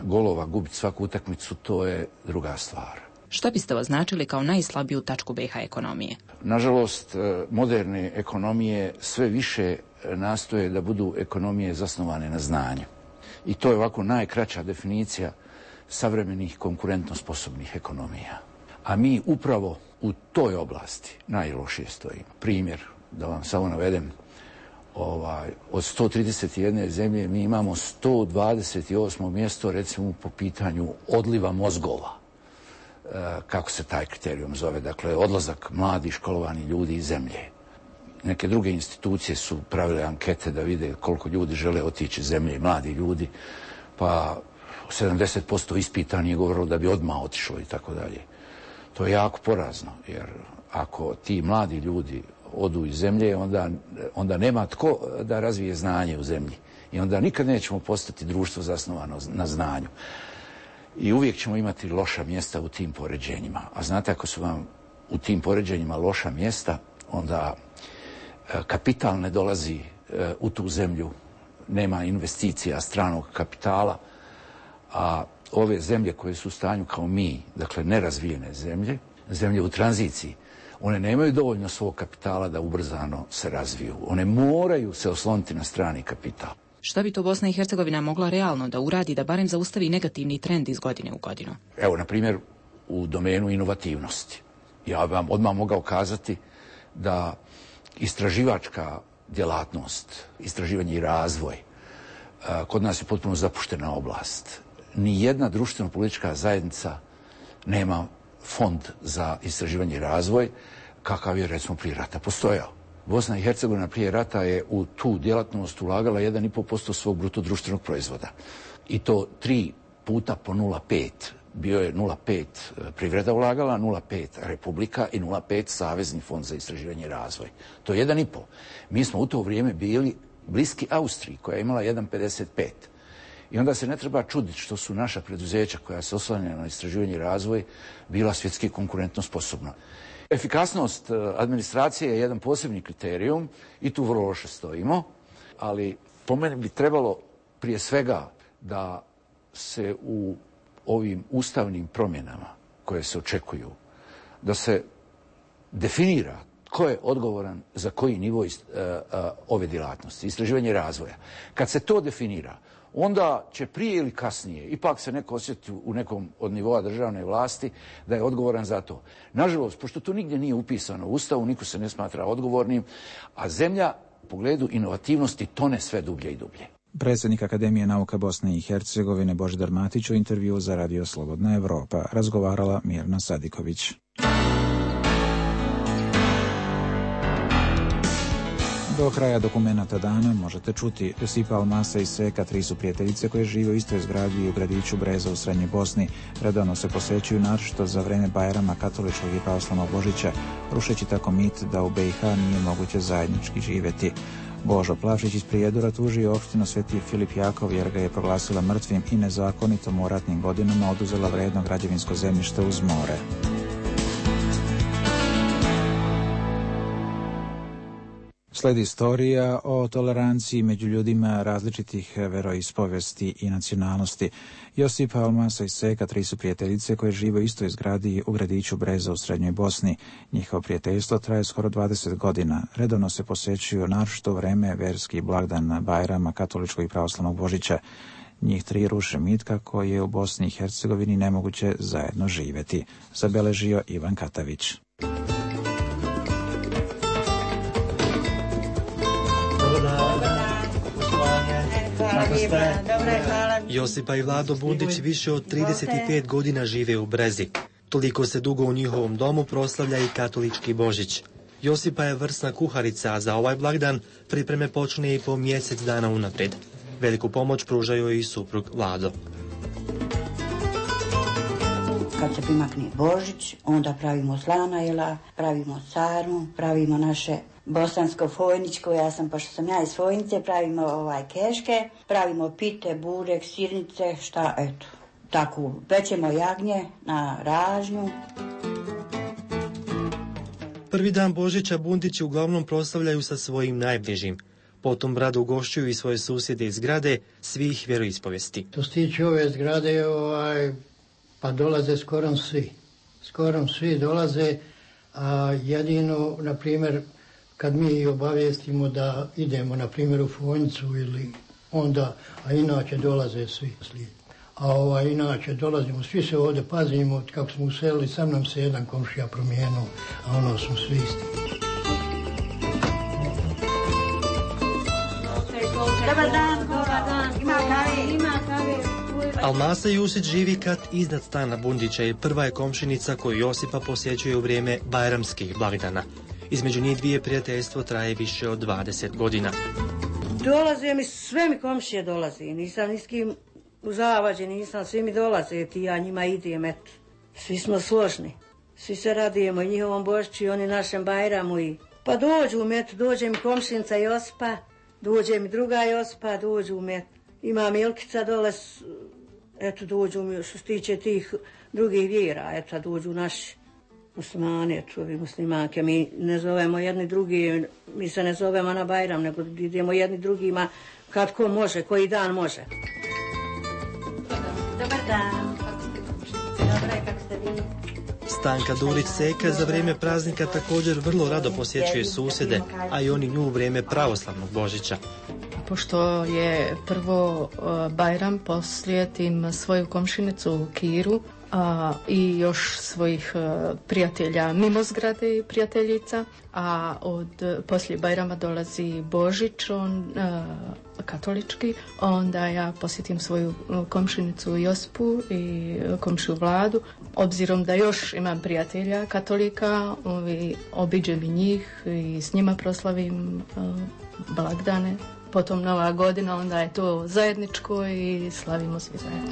golova gubiti svaku utakmicu, to je druga stvar.
Što biste označili kao najslabiju tačku BiH ekonomije?
Nažalost, moderne ekonomije sve više nastoje da budu ekonomije zasnovane na znanju. I to je ovako najkraća definicija savremenih konkurentno sposobnih ekonomija. A mi upravo u toj oblasti najlošije stojimo. Primjer, da vam samo navedem, od 131 zemlje mi imamo 128. mjesto recimo po pitanju odliva mozgova. kako se taj kriterijum zove, dakle odlazak mladih školovanih ljudi iz zemlje. Neke druge institucije su pravile ankete da vide koliko ljudi žele otići iz zemlje, mladi ljudi, pa 70% ispitani je govorilo da bi odmah otišlo i tako dalje. To je jako porazno, jer ako ti mladi ljudi odu iz zemlje, onda nema tko da razvije znanje u zemlji. I onda nikad nećemo postati društvo zasnovano na znanju. I uvijek ćemo imati loša mjesta u tim poređenjima. A znate, ako su vam u tim poređenjima loša mjesta, onda kapital ne dolazi u tu zemlju, nema investicija stranog kapitala, a ove zemlje koje su u stanju kao mi, dakle nerazvijene zemlje, zemlje u tranziciji, one nemaju dovoljno svog kapitala da ubrzano se razviju. One moraju se osloniti na strani kapital.
Šta bi to Bosna i Hercegovina mogla realno da uradi da barem zaustavi negativni trend iz godine u godinu?
Evo, na primjer, u domenu inovativnosti. Ja vam odmah mogao kazati da istraživačka djelatnost, istraživanje i razvoj, kod nas je potpuno zapuštena oblast. Nijedna društveno-politička zajednica nema fond za istraživanje i razvoj, kakav je, recimo, prije rata postojao. Bosna i Hercegovina prije rata je u tu djelatnost ulagala 1,5% svog bruto društvenog proizvoda. I to 3 puta po 0,5. Bio je 0,5 privreda ulagala, 0,5 Republika i 0,5 Savezni fond za istraživanje i razvoj. To je 1,5. Mi smo u to vrijeme bili bliski Austriji, koja je imala 1,55. I onda se ne treba čuditi što su naša preduzeća koja se oslanjaju na istraživanje i razvoj bila svjetski konkurentno sposobna. Efikasnost administracije je jedan posebni kriterijum i tu vrlo loše stojimo, ali po meni bi trebalo prije svega da se u ovim ustavnim promjenama koje se očekuju, da se definira ko je odgovoran za koji nivo ove djelatnosti, istraživanje i razvoja. Kad se to definira, onda će prije ili kasnije ipak se neko osjetiti u nekom od nivoa državne vlasti da je odgovoran za to. Nažalost, pošto to nigdje nije upisano u Ustavu, niko se ne smatra odgovornim, a zemlja u pogledu inovativnosti tone sve dublje i dublje.
Predsjednik Akademije nauka Bosne i Hercegovine Božidar Matić u intervju za Radio Slobodna Evropa, razgovarala Mirna Sadiković. Do kraja dokumenata dana možete čuti Josipa Almasa i Seka, 3 su prijateljice koje žive u istoj zgradi i u gradiću Breza u Srednjoj Bosni. Redovno se posjećuju naročito za vreme Bajrama katoličkog i pravoslavnog Božića, rušeći tako mit da u BiH nije moguće zajednički živjeti. Božo Plavšić iz Prijedora tužio opštinu Sveti Filip Jakov jer ga je proglasila mrtvim i nezakonitom u ratnim godinama oduzela vredno građevinsko zemljište uz more. Slijedi istorija o toleranciji među ljudima različitih veroispovesti i nacionalnosti. Josipa Almasa i Seka, 3 su prijateljice koje žive u istoj zgradi u gradiću Breza u Srednjoj Bosni. Njihovo prijateljstvo traje skoro 20 godina. Redovno se posjećuju naročito vreme verski blagdan Bajrama katoličkog i pravoslavnog Božića. Njih 3 ruše mit kako je u Bosni i Hercegovini nemoguće zajedno živjeti, zabeležio Ivan Katavić.
Josipa i Vlado Bundić više od 35 godina žive u Brezi. Toliko se dugo u njihovom domu proslavlja i katolički Božić. Josipa je vrsna kuharica, a za ovaj blagdan pripreme počne i po mjesec dana unaprijed. Veliku pomoć pružaju i suprug Vlado.
Kad se primakne Božić, onda pravimo slana jela, pravimo sarmu, pravimo naše bosansko fojničko, pošto sam ja iz Fojnice, pravimo keške, pravimo pite, burek, sirnice, tako, pečemo jagnje na ražnju.
Prvi dan Božića Bundići uglavnom proslavljaju sa svojim najbližim. Potom rado ugošćuju i svoje susjede iz zgrade svih vjeroispovesti.
To se tiče ove zgrade, pa dolaze skorom svi dolaze, a jedino, na primjer, kad mi obavijestimo da idemo, na primjer, u Fojnicu ili onda, a inače dolaze svi. A inače dolazimo, svi se ovdje pazimo, kako smo uselili, sam nam se jedan komšija promijenuo, a ono smo svi isti.
Dobar dan, ima kave.
Almasa Jusić živi kat iznad stana Bundića i prva je komšinica koju Josipa posjećuje u vrijeme bajramskih blagdana. Između njih dvije prijateljstvo traje više od 20 godina.
Dolaze mi, sve mi komšije dolaze, nisam ni s kim u zavađe, nisam, svi mi dolaze, ti ja njima idem, eto. Svi smo složni, svi se radujemo i njihovom Božiću i oni našem Bajramu i... Pa dođu mi, eto, dođe mi komšinica Josipa, dođe mi druga Josipa, dođu mi, eto. Ima Milkica dole, eto, dođu mi, što se tiče tih drugih vjera, eto, dođu naši muslimani, eto, ovi muslimanke. Mi ne zovemo jedni drugi, mi se ne zovemo na Bajram, nego idemo jedni drugima kad ko može, koji dan može.
Dobar dan. Dobro je, kako ste vi?
Stanka Durić-Seka za vrijeme praznika također vrlo rado posjećuje susjede, a i oni nju u vrijeme pravoslavnog Božića.
Pošto je prvo Bajram, poslijetim svoju komšinicu Kiru i još svojih prijatelja mimo zgrade i prijateljica, a poslije Bajrama dolazi Božić, katolički, onda ja posjetim svoju komšinicu Josipu i komšiju Vladu. Obzirom da još imam prijatelja katolika, obiđem i njih i s njima proslavim blagdane. Potom Nova godina, onda je to zajedničko i slavimo svi zajedno.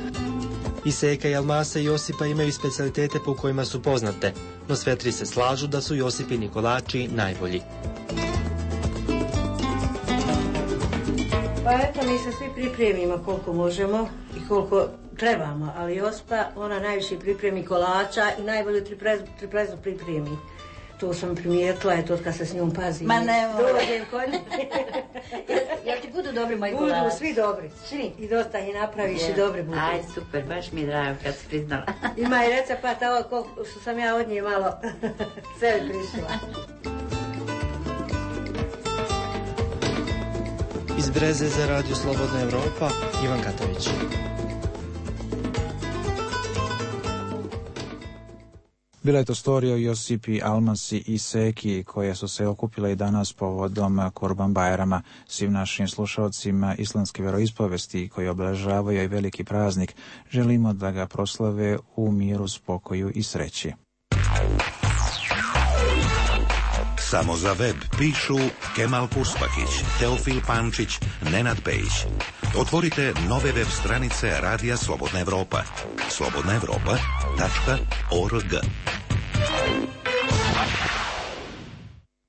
I Seka i Almasa i Josipa imaju specijalitete po kojima su poznate, no sve tri se slažu da su Josipini kolači najbolji.
Pa eto, mi se svi pripremimo koliko možemo i koliko trebamo, ali Josipa, ona najviše pripremi kolača i najbolju triplezu pripremi. To sam primijetila, eto, kad se s njom pazi.
Ma ne,
dođem kod nje.
Jel ti budu dobri moji kolači?
Budu, svi dobri, svi. I dosta ih napraviš i dobri budu.
Aj, super, baš mi je drago kad si priznala.
Ima i recepata, ovo što sam ja od nje malo sebi prišla.
Iz Breze za Radio Slobodna Evropa, Ivan Katović.
Bila je to storija o Josipi, Almasi i Seki koje su se okupile i danas povodom Kurban Bajrama. Svim našim slušalcima islamske vjeroispovesti koji obeležavaju i veliki praznik želimo da ga proslave u miru, spokoju i sreći.
Samo za web pišu Kemal Kuspakić, Teofil Pančić, Nenad Pejić. Otvorite nove web stranice Radija Slobodna Evropa. slobodnaevropa.org.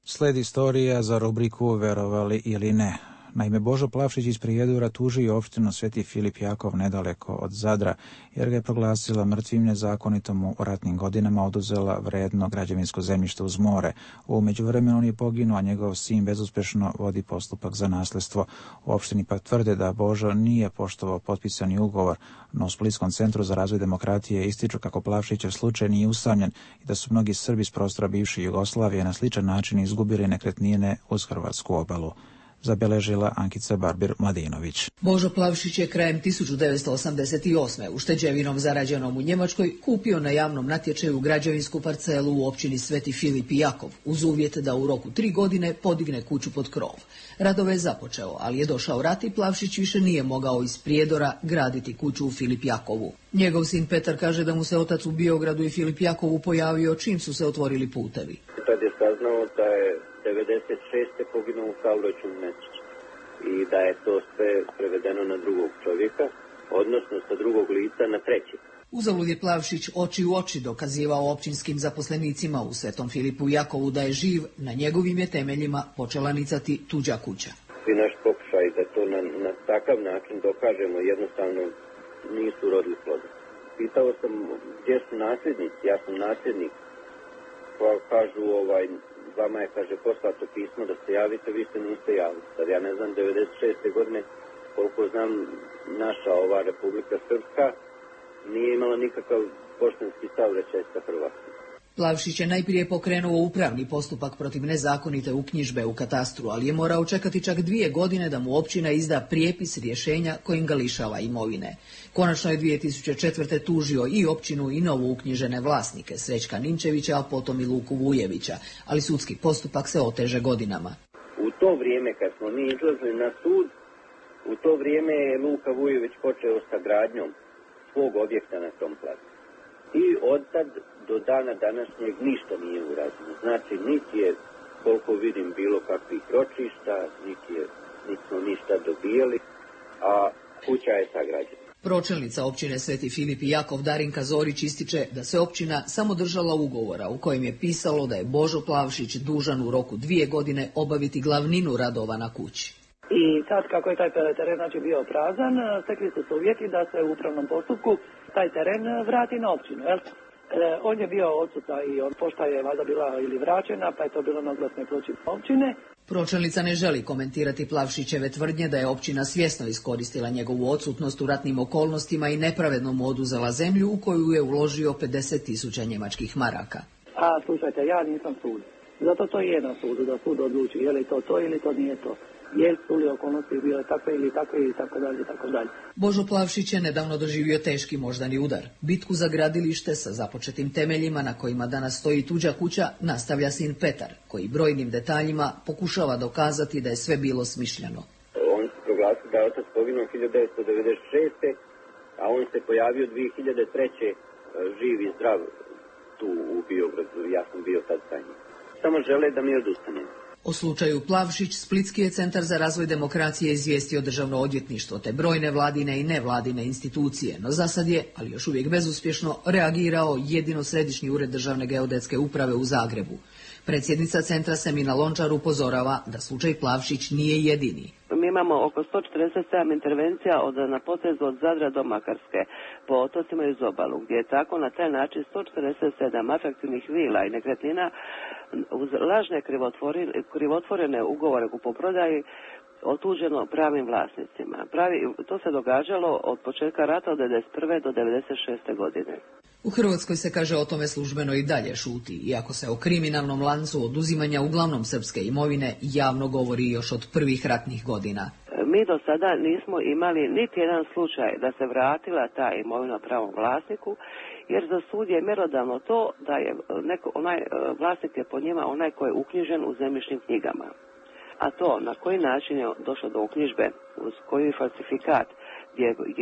Sledi istorija za rubriku Verovali ili ne. Naime, Božo Plavšić iz Prijedora tužio opštinu Sveti Filip Jakov nedaleko od Zadra, jer ga je proglasila mrtvim, nezakonitom mu u ratnim godinama oduzela vredno građevinsko zemljište uz more. U međuvremenu on je poginuo, a njegov sin bezuspješno vodi postupak za nasljedstvo. U opštini pak tvrde da Božo nije poštovao potpisani ugovor, no u Splitskom centru za razvoj demokratije ističu kako Plavšićev slučaj nije usamljen i da su mnogi Srbi s prostora bivše Jugoslavije na sličan način izgubili nekretnine uz hrvatsku obalu. Zabeležila Ankica Barbir-Mladinović.
Božo Plavšić je krajem 1988. ušteđevinom zarađenom u Njemačkoj kupio na javnom natječaju građevinsku parcelu u općini Sveti Filip i Jakov, uz uvjet da u roku 3 godine podigne kuću pod krov. Radove je započeo, ali je došao rat i Plavšić više nije mogao iz Prijedora graditi kuću u Filip Jakovu. Njegov sin Petar kaže da mu se otac u Biogradu i Filip Jakovu pojavio čim su se otvorili putevi.
Tad je saznao da je 96. poginuo u saobraćaju u Mesiću i da je to sve prevedeno na drugog čovjeka, odnosno sa drugog lica na treći.
Uzalud je Plavšić oči u oči dokazivao općinskim zaposlenicima u Svetom Filipu Jakovu da je živ, na njegovim je temeljima počela nicati tuđa kuća.
Svi naš pokušaj da to na takav način dokažemo jednostavno nisu rodili ploda. Pitao sam gdje su nasljednici, ja sam nasljednik, pa kažu vama je, kaže, poslato pismo da se javite, vi se niste javili. Sad ja ne znam, 96. godine, koliko znam, naša ova Republika Srpska nije imala nikakav poštanski saobraćaj sa Hrvatskom.
Plavšić je najprije pokrenuo upravni postupak protiv nezakonite uknjižbe u katastru, ali je morao čekati čak 2 godine da mu općina izda prijepis rješenja kojim ga lišava imovine. Konačno je 2004. tužio i općinu i novo uknjižene vlasnike, Srećka Ninčevića, a potom i Luku Vujevića, ali sudski postupak se oteže godinama.
U to vrijeme kad smo mi izlazili na sud, u to vrijeme je Luka Vujević počeo sa gradnjom svog objekta na tom placu. I od tad do dana današnjeg ništa nije urađeno. Znači, niti je, koliko vidim, bilo kakvih ročišta, niti smo ništa dobijali, a kuća je sagrađena.
Pročelnica općine Sveti Filip i Jakov Darinka Zorić ističe da se općina samo držala ugovora u kojem je pisalo da je Božo Plavšić dužan u roku 2 godine obaviti glavninu radova na kući.
I sad kako je taj teren bio prazan, stekli su se uvjeti da se u upravnom postupku taj teren vrati na općinu. Jel? On je bio odsutan i pošta je valjda bila ili vraćena, pa je to bilo na oglasnoj ploči općine.
Pročelnica ne želi komentirati Plavšićeve tvrdnje da je općina svjesno iskoristila njegovu odsutnost u ratnim okolnostima i nepravedno mu oduzela zemlju u koju je uložio 50.000 njemačkih maraka.
A slušajte, ja nisam sud. Zato to je na sudu, da sud odluči je li to ili to nije to. Je su li okolnosti bile takve ili takve i tako dalje i tako dalje.
Božo Plavšić je nedavno doživio teški moždani udar. Bitku za gradilište sa započetim temeljima na kojima danas stoji tuđa kuća nastavlja sin Petar, koji brojnim detaljima pokušava dokazati da je sve bilo smišljeno.
On se proglasio da je otac poginuo 1996. a on se pojavio 2003. živ i zdrav tu u Biogradu. Ja sam bio tad sa njim. Samo žele da mi odustanem.
O slučaju Plavšić, Splitski je centar za razvoj demokracije izvijestio Državno odvjetništvo te brojne vladine i nevladine institucije, no zasad je, ali još uvijek bezuspješno, reagirao jedino Središnji ured Državne geodetske uprave u Zagrebu. Predsjednica centra Semina Lončar upozorava da slučaj Plavšić nije jedini.
Mi imamo oko 147 intervencija na potezu od Zadra do Makarske po otocima i uz obalu, gdje je tako na taj način 147 atraktivnih vila i nekretnina uz lažne krivotvorene ugovore kupoprodaji otuđeno pravim vlasnicima. To se događalo od početka rata od 1991. do 1996. godine.
U Hrvatskoj se, kaže, o tome službeno i dalje šuti, iako se o kriminalnom lancu oduzimanja uglavnom srpske imovine javno govori još od prvih ratnih godina.
Mi do sada nismo imali niti jedan slučaj da se vratila ta imovina pravom vlasniku, jer za sud je mjerodavno to da je vlasnik je po njima onaj koji je uknjižen u zemljišnim knjigama. A to na koji način je došlo do uknjižbe, uz koji falsifikat,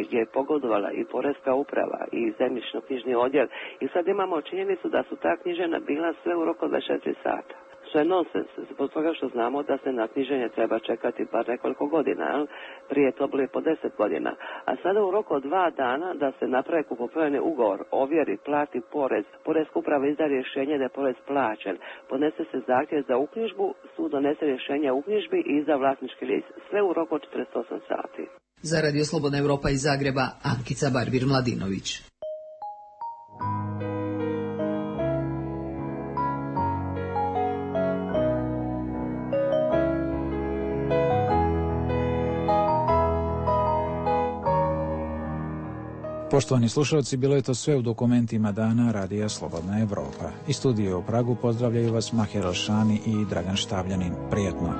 gdje je pogodovala i Porezka uprava i zemljišno-knjižni odjel. I sad imamo činjenicu da su ta knjiženja bila sve u roku 24 sata. Što je nonsens, zbog toga što znamo da se na knjiženje treba čekati bar nekoliko godina, prije je to bilo po 10 godina. A sada u roku od 2 dana da se napravi kupoprodajni ugovor, ovjeri, plati porez, Porezka uprava izda rješenje da je porez plaćen, podnese se zahtjev za uknjižbu, sud donese rješenje o uknjižbi i izda vlasnički list, sve u roku od 48 sati.
Za Radio Slobodna Evropa iz Zagreba, Ankica Barbir-Mladinović.
Poštovani slušalci, bilo je to sve u dokumentima dana Radija Slobodna Evropa. Iz studija u Pragu pozdravljaju vas Maher Elšani i Dragan Štavljanin. Prijetno.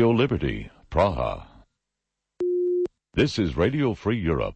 Radio Liberty, Praha. This is Radio Free Europe,